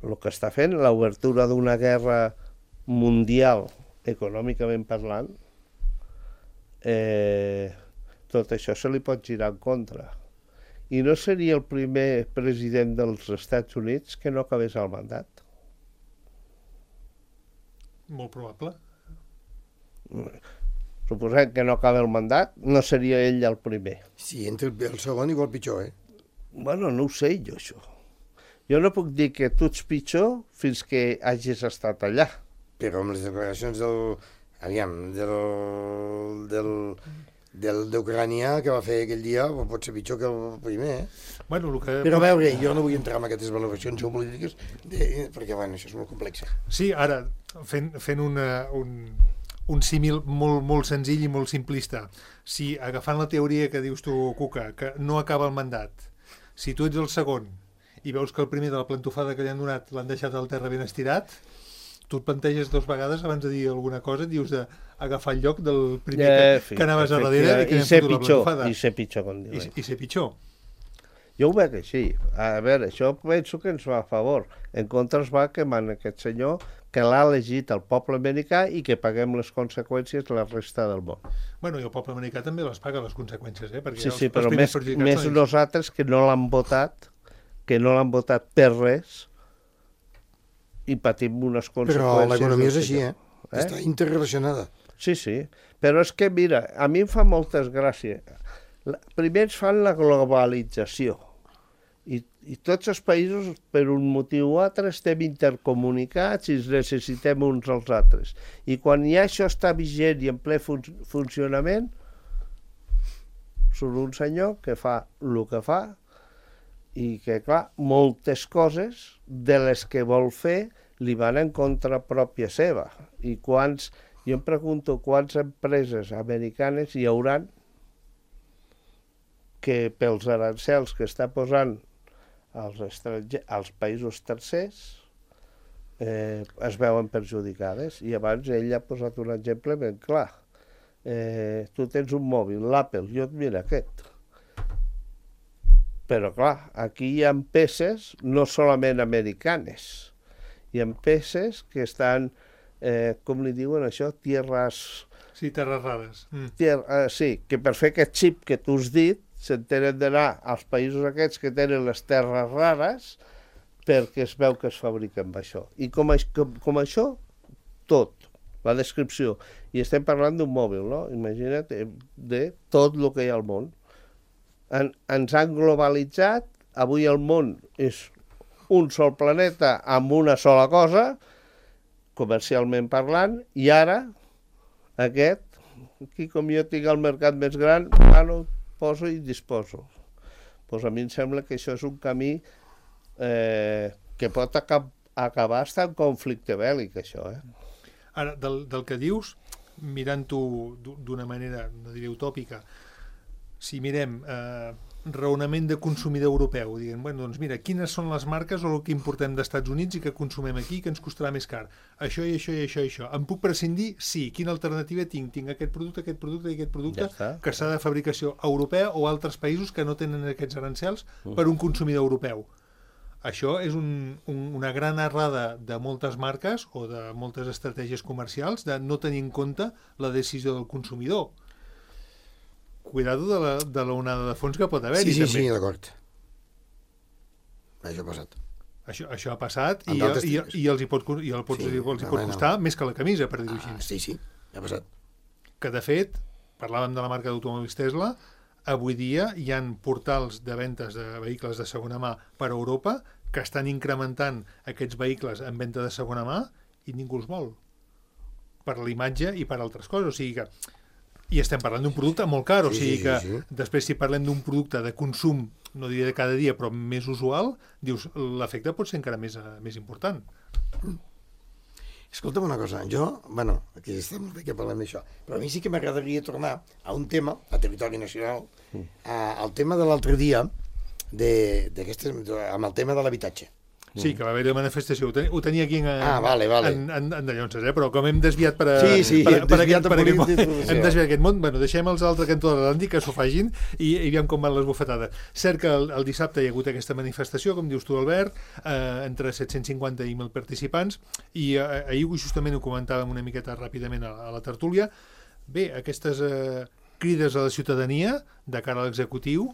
Speaker 3: el que està fent, l'obertura d'una guerra mundial, econòmicament parlant, eh, tot això se li pot girar en contra. I no seria el primer president dels Estats Units que no acabés el mandat.
Speaker 2: Molt probable.
Speaker 3: Suposem que no acaba el mandat, no seria ell el primer.
Speaker 4: Sí, entre el segon igual pitjor, eh?
Speaker 3: Bueno, no ho sé jo, això. Jo no puc dir que tu ets pitjor fins que hagis estat allà.
Speaker 4: Però amb les declaracions del... Aviam, del... del... del d'Ucrània que va fer aquell dia pot ser pitjor que el primer, eh?
Speaker 2: Bueno, el que...
Speaker 4: Però a veure, jo no vull entrar en aquestes valoracions geopolítiques de... perquè, bueno, això és molt complex.
Speaker 2: Sí, ara, fent, fent una, un, un símil molt, molt senzill i molt simplista. Si, agafant la teoria que dius tu, Cuca, que no acaba el mandat, si tu ets el segon i veus que el primer de la plantofada que li han donat l'han deixat al terra ben estirat, tu et planteges dos vegades abans de dir alguna cosa, dius d'agafar el lloc del primer
Speaker 3: Eh,
Speaker 2: que,
Speaker 3: fi,
Speaker 2: que anaves a darrere i que
Speaker 3: I
Speaker 2: n'hem
Speaker 3: ser
Speaker 2: fotut la
Speaker 3: pitjor,
Speaker 2: plantofada.
Speaker 3: i ser pitjor, com
Speaker 2: I,
Speaker 3: diuen.
Speaker 2: I ser pitjor.
Speaker 3: Jo ho veig així. A veure, això penso que ens va a favor. En contra es va que man aquest senyor que l'ha elegit el poble americà i que paguem les conseqüències la resta del món.
Speaker 2: Bueno, i el poble americà també les paga, les conseqüències, eh? Perquè
Speaker 3: Sí,
Speaker 2: els,
Speaker 3: sí, però
Speaker 2: els
Speaker 3: més,
Speaker 2: perjudicats
Speaker 3: més
Speaker 2: són ells.
Speaker 3: nosaltres que no l'han votat, que no l'han votat per res i patim unes conseqüències.
Speaker 4: Però l'economia és
Speaker 3: del
Speaker 4: així,
Speaker 3: senyor.
Speaker 4: eh? Està interrelacionada.
Speaker 3: Sí, sí, però és que, mira, a mi em fa moltes gràcies. La- Primer ens fan la globalització i, i tots els països, per un motiu o altre, estem intercomunicats i ens necessitem uns als altres. I quan ja això està vigent i en ple fun funcionament, surt un senyor que fa el que fa i que, clar, moltes coses de les que vol fer li van en contra pròpia seva. I quants, jo em pregunto quantes empreses americanes hi hauran que pels arancels que està posant als, estranger, als països tercers eh, es veuen perjudicades. I abans ell ha posat un exemple ben clar. Eh, tu tens un mòbil, l'Apple, jo et mira aquest. Però clar, aquí hi ha peces no solament americanes, hi ha peces que estan, eh, com li diuen això, tierras...
Speaker 2: Sí, terres rares. Mm.
Speaker 3: Tier, eh, sí, que per fer aquest xip que tu has dit, se'n tenen d'anar als països aquests que tenen les terres rares perquè es veu que es fabrica amb això. I com, com, com això, tot, la descripció. I estem parlant d'un mòbil, no? Imagina't, de tot el que hi ha al món. En, ens han globalitzat, avui el món és un sol planeta amb una sola cosa, comercialment parlant, i ara aquest, aquí com jo tinc el mercat més gran, bueno, poso i disposo. Pues a mi em sembla que això és un camí eh, que pot acab acabar estant en conflicte bèl·lic, això. Eh?
Speaker 2: Ara, del, del que dius, mirant-ho d'una manera, no diré utòpica, si mirem eh, raonament de consumidor europeu, diguem, bueno, doncs mira, quines són les marques o el que importem d'Estats Units i que consumem aquí que ens costarà més car? Això i això i això i això. Em puc prescindir? Sí. Quina alternativa tinc? Tinc aquest producte, aquest producte i aquest producte
Speaker 3: Ja
Speaker 2: que serà de fabricació europea o altres països que no tenen aquests arancels
Speaker 3: Mm.
Speaker 2: per un consumidor europeu. Això és un, un, una gran errada de moltes marques o de moltes estratègies comercials de no tenir en compte la decisió del consumidor. Cuidado de la, de la onada de fons que pot haver-hi,
Speaker 4: Sí, sí,
Speaker 2: també.
Speaker 4: sí, d'acord. Això ha passat.
Speaker 2: Això, això ha passat i,
Speaker 4: En d'altres
Speaker 2: i,
Speaker 4: tics.
Speaker 2: i els hi pot, i el pots,
Speaker 4: Sí,
Speaker 2: sí, els hi
Speaker 4: no,
Speaker 2: pot
Speaker 4: no.
Speaker 2: costar més que la camisa, per dir-ho
Speaker 4: Ah,
Speaker 2: així.
Speaker 4: sí, sí, ha passat.
Speaker 2: Que, de fet, parlàvem de la marca d'automòbils Tesla, avui dia hi ha portals de ventes de vehicles de segona mà per a Europa que estan incrementant aquests vehicles en venda de segona mà i ningú els vol. Per l'imatge i per altres coses. O sigui que... I estem parlant d'un producte molt car, o
Speaker 4: Sí,
Speaker 2: sigui
Speaker 4: sí,
Speaker 2: que
Speaker 4: sí, sí.
Speaker 2: després si parlem d'un producte de consum, no diré de cada dia, però més usual, dius, l'efecte pot ser encara més, eh, més important.
Speaker 4: Escolta'm una cosa, jo, bueno, aquí està molt bé que parlem d'això, però a mi sí que m'agradaria tornar a un tema, a territori nacional, a, al tema de l'altre dia, de, amb el tema de l'habitatge.
Speaker 2: Sí, que va haver-hi manifestació. Ho, ten, ho tenia aquí en,
Speaker 4: Ah, vale, vale.
Speaker 2: en, en, en Dallonses, eh? Però com hem desviat per, a,
Speaker 4: Sí, sí,
Speaker 2: per,
Speaker 4: hem
Speaker 2: per,
Speaker 4: desviat
Speaker 2: aquest, per
Speaker 4: a
Speaker 2: aquest món,
Speaker 4: política d'informació.
Speaker 2: hem desviat aquest món, bueno, deixem els altres cantó de l'Atlàntic que s'ho facin i, i veiem com van les bufetades. Cert que el, el dissabte hi ha hagut aquesta manifestació, com dius tu, Albert, eh, entre set-cents cinquanta i mil participants, i eh, ahir justament ho comentàvem una miqueta ràpidament a, a la tertúlia. Bé, aquestes eh, crides a la ciutadania de cara a l'executiu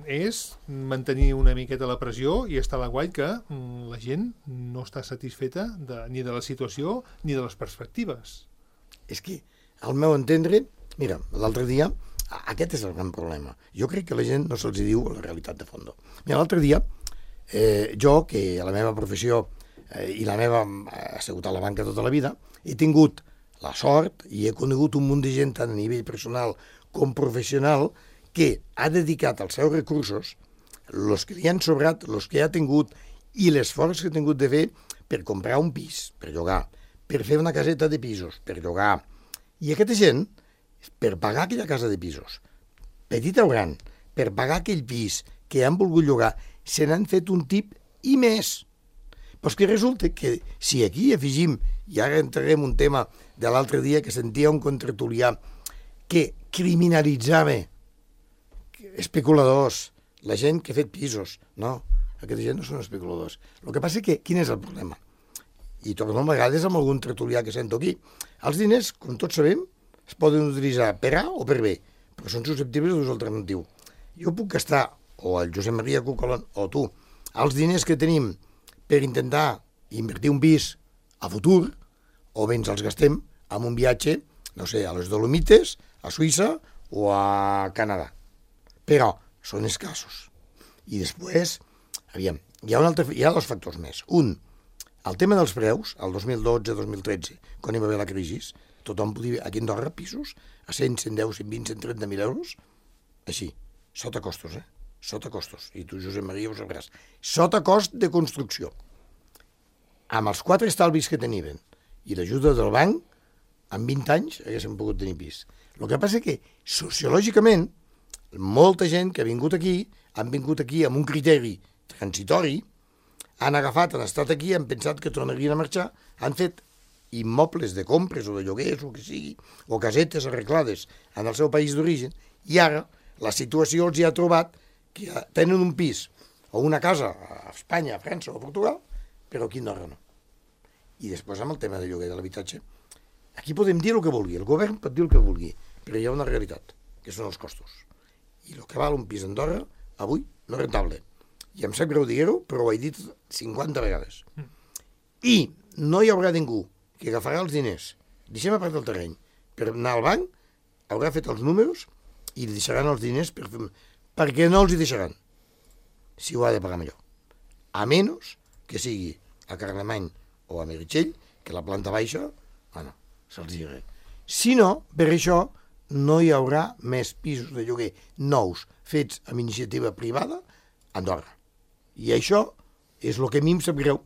Speaker 2: és mantenir una miqueta la pressió i estar a l'aguait que la gent no està satisfeta de, ni de la situació ni de les perspectives.
Speaker 4: És que, al meu entendre, mira, l'altre dia, aquest és el gran problema. Jo crec que la gent no se'ls diu la realitat de fons. Mira, l'altre dia Eh, jo, que a la meva professió eh, i la meva ha sigut a la banca tota la vida, he tingut la sort i he conegut un munt de gent tant a nivell personal com professional que ha dedicat els seus recursos, els que li han sobrat, els que ha tingut i l'esforç que ha tingut de fer per comprar un pis, per llogar, per fer una caseta de pisos, per llogar. I aquesta gent, per pagar aquella casa de pisos, petita o gran, per pagar aquell pis que han volgut llogar, se n'han fet un tip i més. Però és que resulta que si aquí afegim, i ara entrarem un tema de l'altre dia que sentia un contratulià que criminalitzava especuladors, la gent que ha fet pisos. No, aquesta gent no són especuladors. El que passa és que, quin és el problema? I torno a vegades amb algun tertulià que sento aquí. Els diners, com tots sabem, es poden utilitzar per A o per B, però són susceptibles d'ús alternatiu. Jo puc gastar, o el Josep Maria Cucolón, o tu, els diners que tenim per intentar invertir un pis a futur, o bé ens els gastem en un viatge, no sé, a les Dolomites, a Suïssa o a Canadà. Però són escassos. I després, aviam, hi ha, un altre, hi ha dos factors més. Un, el tema dels preus, el dos mil dotze dos mil tretze, quan hi va haver la crisi, tothom podia, aquí a Andorra, pisos a cent, cent deu, cent vint, cent trenta mil euros, així, sota costos, eh? Sota costos. I tu, Josep Maria, ho sabràs. Sota cost de construcció. Amb els quatre estalvis que tenien i l'ajuda del banc, en vint anys haguéssim pogut tenir pis. El que passa és que, sociològicament, molta gent que ha vingut aquí, han vingut aquí amb un criteri transitori, han agafat, han estat aquí, han pensat que tornarien a marxar, han fet immobles de compres o de lloguers o que sigui, o casetes arreglades en el seu país d'origen, i ara la situació els hi ha trobat que tenen un pis o una casa a Espanya, a França o a Portugal, però aquí a Andorra no. I després amb el tema de lloguer de l'habitatge, aquí podem dir el que vulgui, el govern pot dir el que vulgui, però hi ha una realitat, que són els costos. I el que val un pis a Andorra, avui, no és rentable. I em sap greu dir-ho, però ho he dit cinquanta vegades. I no hi haurà ningú que agafarà els diners, deixem a part del terreny, per anar al banc, haurà fet els números i li deixaran els diners per fer... perquè no els hi deixaran, si ho ha de pagar millor. A menys que sigui a Carlemany o a Meritxell, que la planta baixa, bueno, se'ls diré. Si no, per això no hi haurà més pisos de lloguer nous fets amb iniciativa privada a Andorra. I això és el que a mi em sap greu,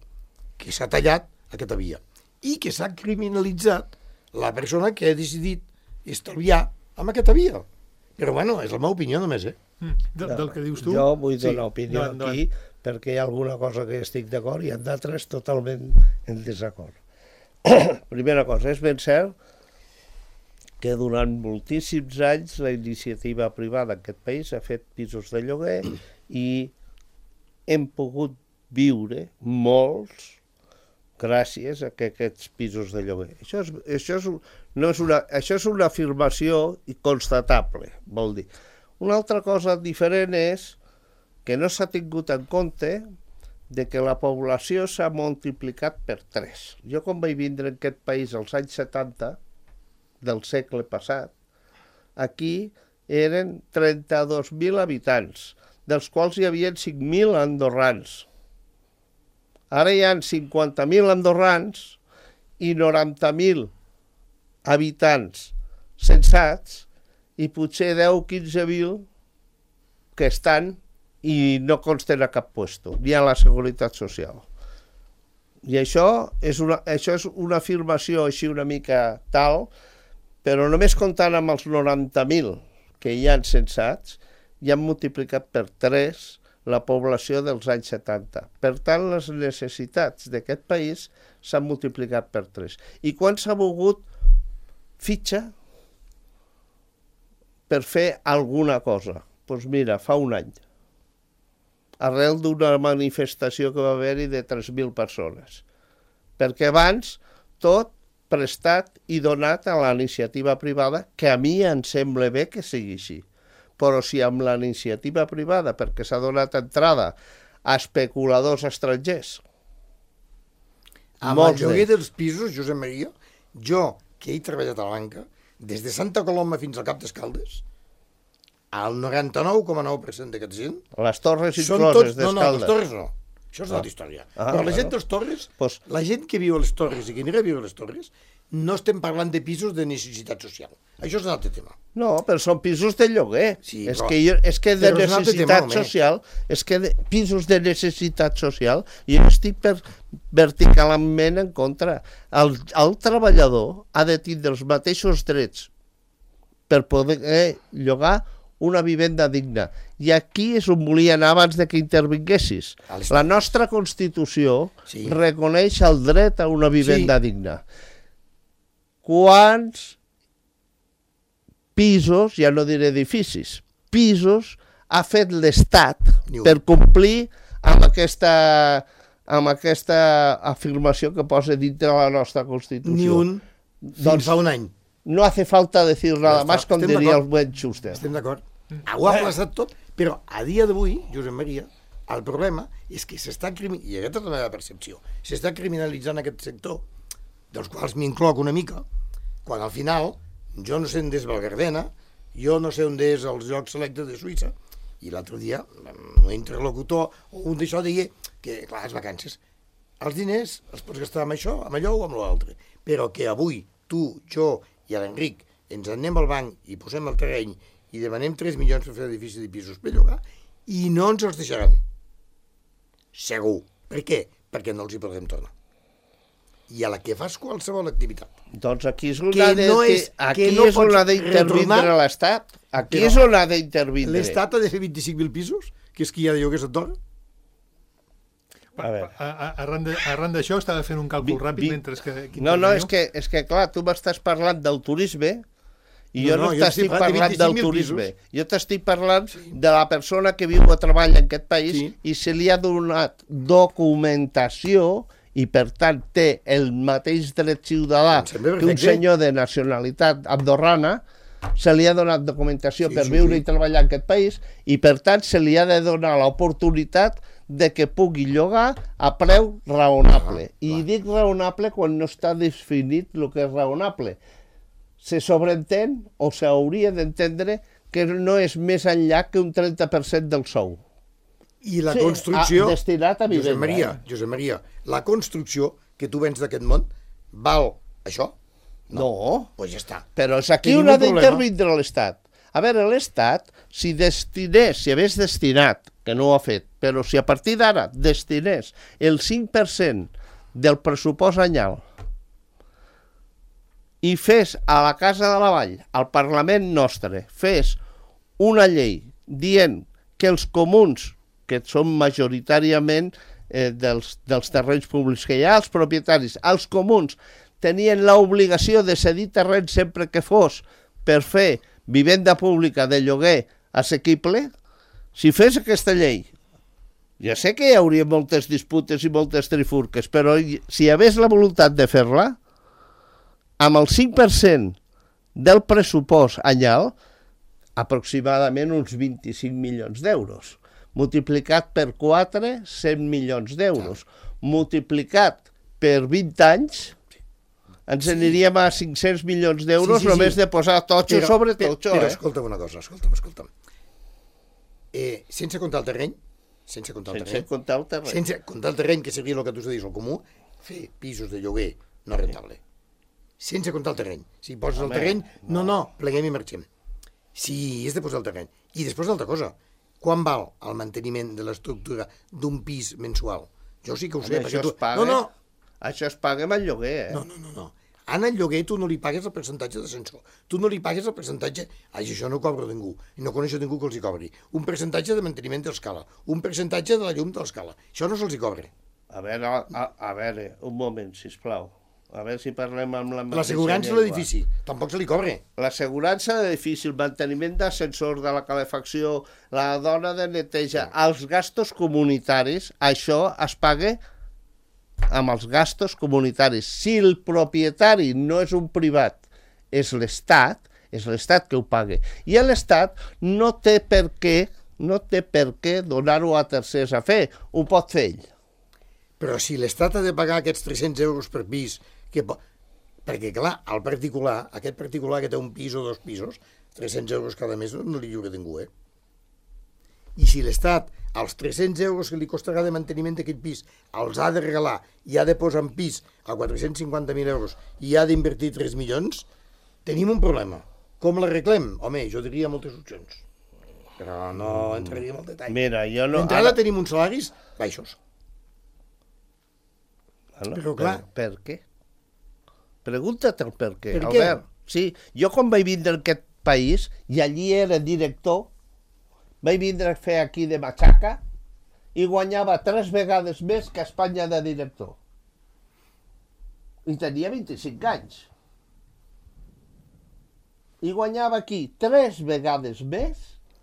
Speaker 4: que s'ha tallat aquesta via i que s'ha criminalitzat la persona que ha decidit estalviar amb aquesta via. Però, bueno, és la meva opinió només, eh?
Speaker 2: Mm, de, del que dius tu...
Speaker 3: Jo vull donar sí, opinió no, no, aquí, perquè hi ha alguna cosa que estic d'acord i en d'altres totalment en desacord. Primera cosa, és ben cert que durant moltíssims anys la iniciativa privada en aquest país ha fet pisos de lloguer i hem pogut viure molts gràcies a que aquests pisos de lloguer. Això és, això és, no és, una, això és una afirmació constatable, vol dir. Una altra cosa diferent és que no s'ha tingut en compte de que la població s'ha multiplicat per tres. Jo quan vaig vindre en aquest país als anys setanta del segle passat, aquí eren trenta-dos mil habitants, dels quals hi havia cinc mil andorrans. Ara hi ha cinquanta mil andorrans i noranta mil habitants censats i potser deu o quinze mil que estan i no consten a cap puesto, ni a la Seguretat Social. I això és una, això és una afirmació així una mica tal, però només comptant amb els noranta mil que hi han censats, ja han multiplicat per tres la població dels anys setanta. Per tant, les necessitats d'aquest país s'han multiplicat per tres. I quan s'ha volgut fitxa per fer alguna cosa? Doncs mira, fa un any, arrel d'una manifestació que va haver-hi de tres mil persones. Perquè abans tot prestat i donat a la iniciativa privada, que a mi em sembla bé que sigui així. Però si amb la iniciativa privada, perquè s'ha donat entrada a especuladors estrangers...
Speaker 4: Amb el lloguer dels pisos, Josep Maria, jo, que he treballat a la banca, des de Santa Coloma fins al Cap d'Escaldes, el noranta-nou coma nou per cent d'aquesta gent...
Speaker 3: Les torres incloses d'Escaldes.
Speaker 4: No, no, les torres no. Això és una altra història.
Speaker 3: Ah,
Speaker 4: Però la gent
Speaker 3: bueno.
Speaker 4: dels Torres,
Speaker 3: Pues-
Speaker 4: la gent que viu a les Torres i que anirà a viure a les Torres, no estem parlant de pisos de necessitat social. Això és un altre tema.
Speaker 3: No, però són pisos de lloguer.
Speaker 4: Sí,
Speaker 3: és,
Speaker 4: però-
Speaker 3: que jo, és que de
Speaker 4: però és un altre
Speaker 3: necessitat
Speaker 4: tema, home.
Speaker 3: social, és que de, pisos de necessitat social, jo estic per, verticalment en contra. El, el treballador ha de tindre els mateixos drets per poder eh, llogar una vivenda digna. I aquí és on volia anar abans de que intervinguessis.
Speaker 4: A les-
Speaker 3: La nostra Constitució
Speaker 4: Sí.
Speaker 3: reconeix el dret a una vivenda
Speaker 4: Sí.
Speaker 3: digna. Quants pisos, ja no diré edificis, pisos ha fet l'Estat
Speaker 4: Ni un.
Speaker 3: per complir amb aquesta, amb aquesta afirmació que posa dintre la nostra Constitució?
Speaker 4: Ni un fins
Speaker 3: Doncs-
Speaker 4: fa un any.
Speaker 3: No hace falta decir nada
Speaker 4: està,
Speaker 3: más, com
Speaker 4: estem
Speaker 3: diria el
Speaker 4: d'acord.
Speaker 3: buen Schuster.
Speaker 4: Estem d'acord. Ho ha plaçat tot, però a dia d'avui, Josep Maria, el problema és que s'està, crimi- i aquesta és la meva percepció, s'està criminalitzant aquest sector, dels quals m'incloc una mica, quan al final jo no sé on és Valgardena, jo no sé on és els Jocs Selectes de Suïssa, i l'altre dia un interlocutor o un d'això deia que, clar, les vacances, els diners els pots gastar amb això, amb allò o amb l'altre, però que avui tu, jo i l'Enric ens anem al banc i posem el terreny i demanem tres milions per fer edifici de pisos per llogar i no ens els deixaran. Segur. Per què? Perquè no els hi podrem tornar. I a la que fas qualsevol activitat.
Speaker 3: Doncs aquí és on
Speaker 4: Que
Speaker 3: ha de,
Speaker 4: no és-
Speaker 3: aquí
Speaker 4: que no
Speaker 3: és on
Speaker 4: pots
Speaker 3: ha d'intervindre
Speaker 4: retornar,
Speaker 3: l'Estat. Aquí
Speaker 4: però
Speaker 3: és on ha d'intervindre.
Speaker 4: L'Estat ha de fer vint-i-cinc mil pisos, que és que hi ha de lloguers a Andorra.
Speaker 3: A veure.
Speaker 2: A- a- Arran de- arran d'això estava fent un càlcul
Speaker 3: Vi-
Speaker 2: ràpid
Speaker 3: vi-
Speaker 2: mentre que... que
Speaker 3: No, no,
Speaker 2: interveniu.
Speaker 3: és que, és que clar, tu m'estàs parlant del turisme i
Speaker 4: No,
Speaker 3: jo
Speaker 4: no,
Speaker 3: no,
Speaker 4: jo
Speaker 3: t'estic
Speaker 4: estic parlant de
Speaker 3: parlant del
Speaker 4: vint-i-cinc mil
Speaker 3: turisme.
Speaker 4: pisos.
Speaker 3: Jo t'estic parlant de la persona que viu o treballa en aquest país
Speaker 4: Sí.
Speaker 3: i se li ha donat documentació i, per tant, té el mateix dret ciutadà
Speaker 4: Em sembla
Speaker 3: que un
Speaker 4: perfecte.
Speaker 3: senyor de nacionalitat andorrana, se li ha donat documentació
Speaker 4: Sí,
Speaker 3: per
Speaker 4: sí,
Speaker 3: viure
Speaker 4: sí.
Speaker 3: i treballar en aquest país i, per tant, se li ha de donar l'oportunitat de que pugui llogar a preu raonable.
Speaker 4: Ah,
Speaker 3: I
Speaker 4: clar.
Speaker 3: dic raonable quan no està definit el que és raonable. Se sobreentén o s'hauria d'entendre que no és més enllà que un trenta per cent del sou.
Speaker 4: I la
Speaker 3: Sí,
Speaker 4: construcció...
Speaker 3: a- destinat a vivenda,
Speaker 4: Josep Maria,
Speaker 3: eh?
Speaker 4: Josep Maria, la construcció que tu vens d'aquest món val això?
Speaker 3: No, no
Speaker 4: Doncs ja està.
Speaker 3: però és aquí
Speaker 4: Tenim
Speaker 3: on ha
Speaker 4: un problema.
Speaker 3: d'intervindre l'Estat. A veure, l'Estat, si destinés, si hagués destinat, que no ho ha fet, però si a partir d'ara destinés el cinc per cent del pressupost anyal i fes a la Casa de la Vall, al Parlament nostre, fes una llei dient que els comuns, que són majoritàriament eh, dels, dels terrenys públics que hi ha, els propietaris, els comuns, tenien l'obligació de cedir terreny sempre que fos per fer vivenda pública de lloguer assequible, si fes aquesta llei, ja sé que hi hauria moltes disputes i moltes trifurques, però si hi hagués la voluntat de fer-la, amb el cinc per cent del pressupost anyal, aproximadament uns vint-i-cinc milions d'euros. Multiplicat per quatre, cent milions d'euros. Multiplicat per vint anys, ens sí. aniríem a cinc-cents milions d'euros
Speaker 4: Sí, sí, sí.
Speaker 3: només de posar totxo sobre
Speaker 4: però,
Speaker 3: totxo.
Speaker 4: Però
Speaker 3: Eh?
Speaker 4: escolta'm una cosa, escolta'm, escolta'm. Eh, sense comptar el terreny, sense comptar el
Speaker 3: Sense
Speaker 4: terreny,
Speaker 3: comptar el terreny.
Speaker 4: sense comptar el terreny, que seria el que tu dius, el comú, fer pisos de lloguer no rentable. Sense comptar el terreny. Si poses
Speaker 3: Home,
Speaker 4: el terreny, no, no, pleguem i marxem. Si és de posar el terreny. I després una altra cosa, quan val el manteniment de l'estructura d'un pis mensual? Jo sí que ho sé.
Speaker 3: Home,
Speaker 4: perquè
Speaker 3: això
Speaker 4: tu...
Speaker 3: es paga,
Speaker 4: No, no,
Speaker 3: això es paga amb el lloguer, eh?
Speaker 4: no, no, no, no. En el lloguer tu no li pagues el percentatge d'ascensor. Tu no li pagues el percentatge... Ai, això no cobra ningú. I no coneixo ningú que els hi cobri. Un percentatge de manteniment de l'escala. Un percentatge de la llum de l'escala. Això no se'ls hi cobra.
Speaker 3: A veure, a, a veure, un moment, sisplau. A veure si parlem amb la mateixa
Speaker 4: L'assegurança de
Speaker 3: llengua.
Speaker 4: l'edifici tampoc se li cobra.
Speaker 3: L'assegurança de l'edifici, el manteniment d'ascensors, de la calefacció, la dona de neteja, els gastos comunitaris, això es paga amb els gastos comunitaris. Si el propietari no és un privat, és l'Estat, és l'Estat que ho paga. I l'Estat no té per què, no té per què donar-ho a tercers a fer, ho pot fer ell.
Speaker 4: Però si l'Estat ha de pagar aquests tres-cents euros per pis, que po... perquè clar, al particular, aquest particular que té un pis o dos pisos, tres-cents euros cada mes no li lliura ningú, eh? I si l'Estat, els tres-cents euros que li costarà de manteniment d'aquest pis, els ha de regalar i ha de posar en pis a quatre-cents cinquanta mil euros i ha d'invertir tres milions, tenim un problema. Com l'arreglem? Home, jo diria moltes opcions. Però no entraríem al detall.
Speaker 3: Mira, jo no...
Speaker 4: D'entrada tenim uns salaris baixos.
Speaker 3: Bueno,
Speaker 4: Però clar...
Speaker 3: Per, per què? Pregunta't el per què,
Speaker 4: Per què?
Speaker 3: Albert. Sí, jo quan vaig vindre a aquest país, i allí era director, vaig vindre a fer aquí de matxaca i guanyava tres vegades més que a Espanya de director. I tenia vint-i-cinc anys. I guanyava aquí tres vegades més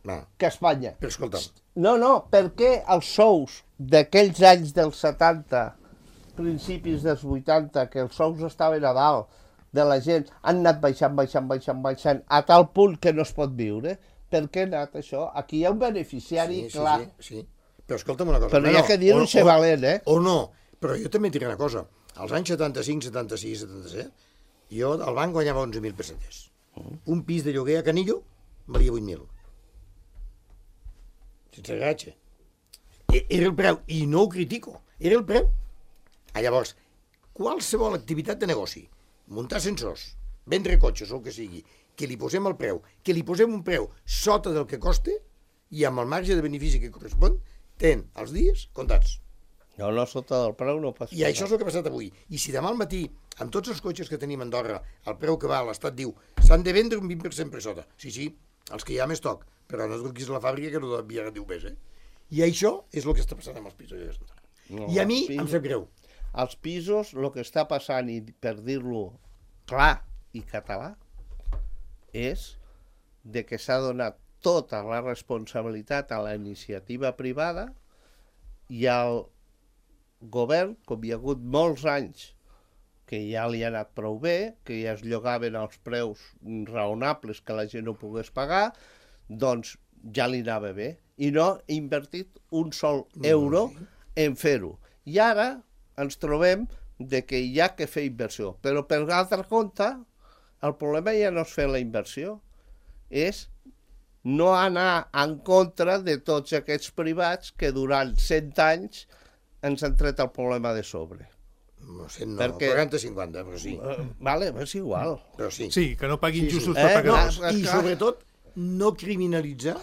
Speaker 4: Va,
Speaker 3: que a Espanya.
Speaker 4: però escolta,
Speaker 3: No, no, perquè els sous d'aquells anys dels setanta, principis dels vuitanta, que els sous estaven a dalt de la gent, han anat baixant, baixant, baixant, baixant, a tal punt que no es pot viure. Per què ha anat això? Aquí hi ha un beneficiari
Speaker 4: sí, sí,
Speaker 3: clar.
Speaker 4: sí, sí. Però escolta'm una cosa.
Speaker 3: Però hi ha que dir-ho ser valent, eh?
Speaker 4: O no, però jo també et diré una cosa. Als anys setanta-cinc, setanta-sis, setanta-set, jo al banc guanyava onze mil pessetes. Un pis de lloguer a Canillo valia vuit mil. Sense gratge. Era el preu, i no ho critico, era el preu. Ah, llavors, qualsevol activitat de negoci, muntar ascensors, vendre cotxes o el que sigui, que li posem el preu, que li posem un preu sota del que costa i amb el marge de benefici que correspon, ten els dies comptats.
Speaker 3: No, no, sota del preu no passa
Speaker 4: I això és el que ha passat avui. I si demà al matí, amb tots els cotxes que tenim a Andorra, el preu que va, l'Estat diu, s'han de vendre un vint per cent per sota. Sí, sí, els que hi ha més toc, però no es truquis a la fàbrica que no devia diu més, eh? I això és el que està passant amb els pisos.
Speaker 3: No,
Speaker 4: I a mi
Speaker 3: pisos,
Speaker 4: em sap greu.
Speaker 3: als pisos, el que està passant, i per dir-lo clar i català, és de que s'ha donat tota la responsabilitat a la iniciativa privada i al govern, com hi ha hagut molts anys que ja li ha anat prou bé, que ja es llogaven als preus raonables que la gent no pogués pagar, doncs ja li anava bé. I no ha invertit un sol euro en fer-ho. I ara ens trobem de que hi ha que fer inversió. Però per altre compte, el problema ja no és fer la inversió, és no anar en contra de tots aquests privats que durant cent anys ens han tret el problema de sobre.
Speaker 4: No sé, no,
Speaker 3: Perquè-
Speaker 4: quaranta cinquanta, però sí.
Speaker 3: Uh, vale, és igual.
Speaker 4: Però sí.
Speaker 2: Sí, que no paguin
Speaker 4: Sí, sí.
Speaker 2: justos
Speaker 3: Eh,
Speaker 2: per pagar.
Speaker 3: no,
Speaker 2: dos.
Speaker 4: I
Speaker 3: clar.
Speaker 4: sobretot, no criminalitzar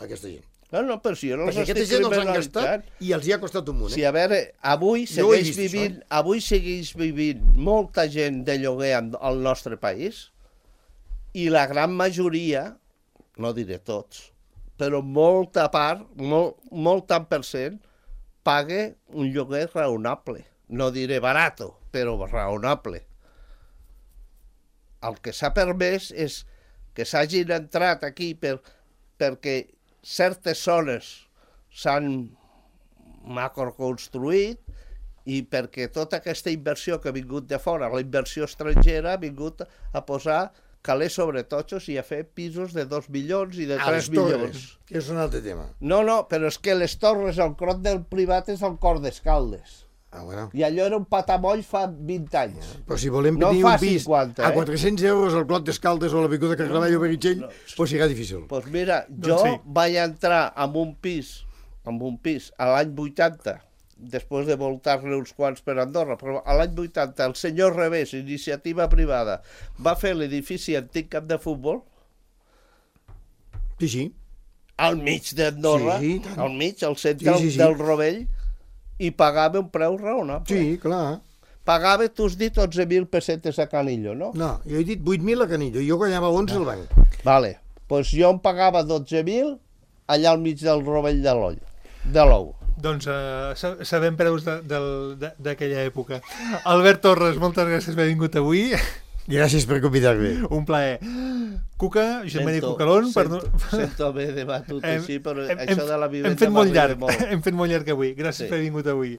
Speaker 4: aquesta gent.
Speaker 3: No, no, però si jo no els
Speaker 4: Perquè aquesta
Speaker 3: estic
Speaker 4: gent els han
Speaker 3: criminalitzant.
Speaker 4: gastat i els hi ha costat un munt,
Speaker 3: Sí,
Speaker 4: eh?
Speaker 3: a veure, avui
Speaker 4: Jo ho he
Speaker 3: segueix
Speaker 4: vist,
Speaker 3: vivint,
Speaker 4: això,
Speaker 3: avui segueix vivint molta gent de lloguer en- al nostre país i la gran majoria, no diré tots, però molta part, molt, molt tant per cent, paga un lloguer raonable. No diré barato, però raonable. El que s'ha permès és que s'hagin entrat aquí per, perquè certes zones s'han macroconstruït i perquè tota aquesta inversió que ha vingut de fora, la inversió estrangera, ha vingut a posar calés sobre totxos i a fer pisos de dos milions i de
Speaker 4: A
Speaker 3: tres
Speaker 4: les torres,
Speaker 3: milions.
Speaker 4: que és un altre tema.
Speaker 3: No, no, però és que les torres, el crot del privat és el cor d'Escaldes.
Speaker 4: Ah, bueno.
Speaker 3: I allò era un patamoll fa vint anys.
Speaker 4: Però si volem
Speaker 3: No
Speaker 4: tenir
Speaker 3: fa
Speaker 4: un pis
Speaker 3: cinquanta,
Speaker 4: a
Speaker 3: eh?
Speaker 4: quatre-cents euros al Clot d'Escaldes o a l'Avinguda Carlemany o Meritxell, no, pues serà difícil.
Speaker 3: Doncs pues mira, jo
Speaker 2: Doncs sí.
Speaker 3: vaig entrar en un pis, en un pis a l'any vuitanta, després de voltar-ne uns quants per Andorra, però a l'any vuitanta el senyor Revés, iniciativa privada, va fer l'edifici antic camp de futbol
Speaker 4: Sí, sí.
Speaker 3: al mig d'Andorra,
Speaker 4: Sí, sí, tant.
Speaker 3: al mig, al centre
Speaker 4: Sí, sí, sí.
Speaker 3: del Rovell, i pagava un preu raonable.
Speaker 4: Sí, clar.
Speaker 3: Pagava, tu has dit, onze mil pessetes a Canillo, no?
Speaker 4: No, jo he dit vuit mil a Canillo, i jo guanyava onze al banc.
Speaker 3: Vale, doncs pues jo em pagava dotze mil allà al mig del Rovell de l'Oll, de l'Ou.
Speaker 2: Doncs uh, sa- sabem preus de- del- de- d'aquella època. Albert Torres, moltes gràcies per haver vingut avui.
Speaker 4: Gràcies per convidar-me.
Speaker 2: Un plaer. Cuca, Josep Maria
Speaker 3: Sento-
Speaker 2: Cucalón, per...
Speaker 3: Sento, sento haver debatut
Speaker 2: Hem-
Speaker 3: així, però
Speaker 2: hem-
Speaker 3: això de la
Speaker 2: hem
Speaker 3: vivenda
Speaker 2: fet molt
Speaker 3: m'arriba
Speaker 2: llarg,
Speaker 3: molt.
Speaker 2: hem fet molt llarg avui. Gràcies
Speaker 3: Sí.
Speaker 2: per haver vingut avui.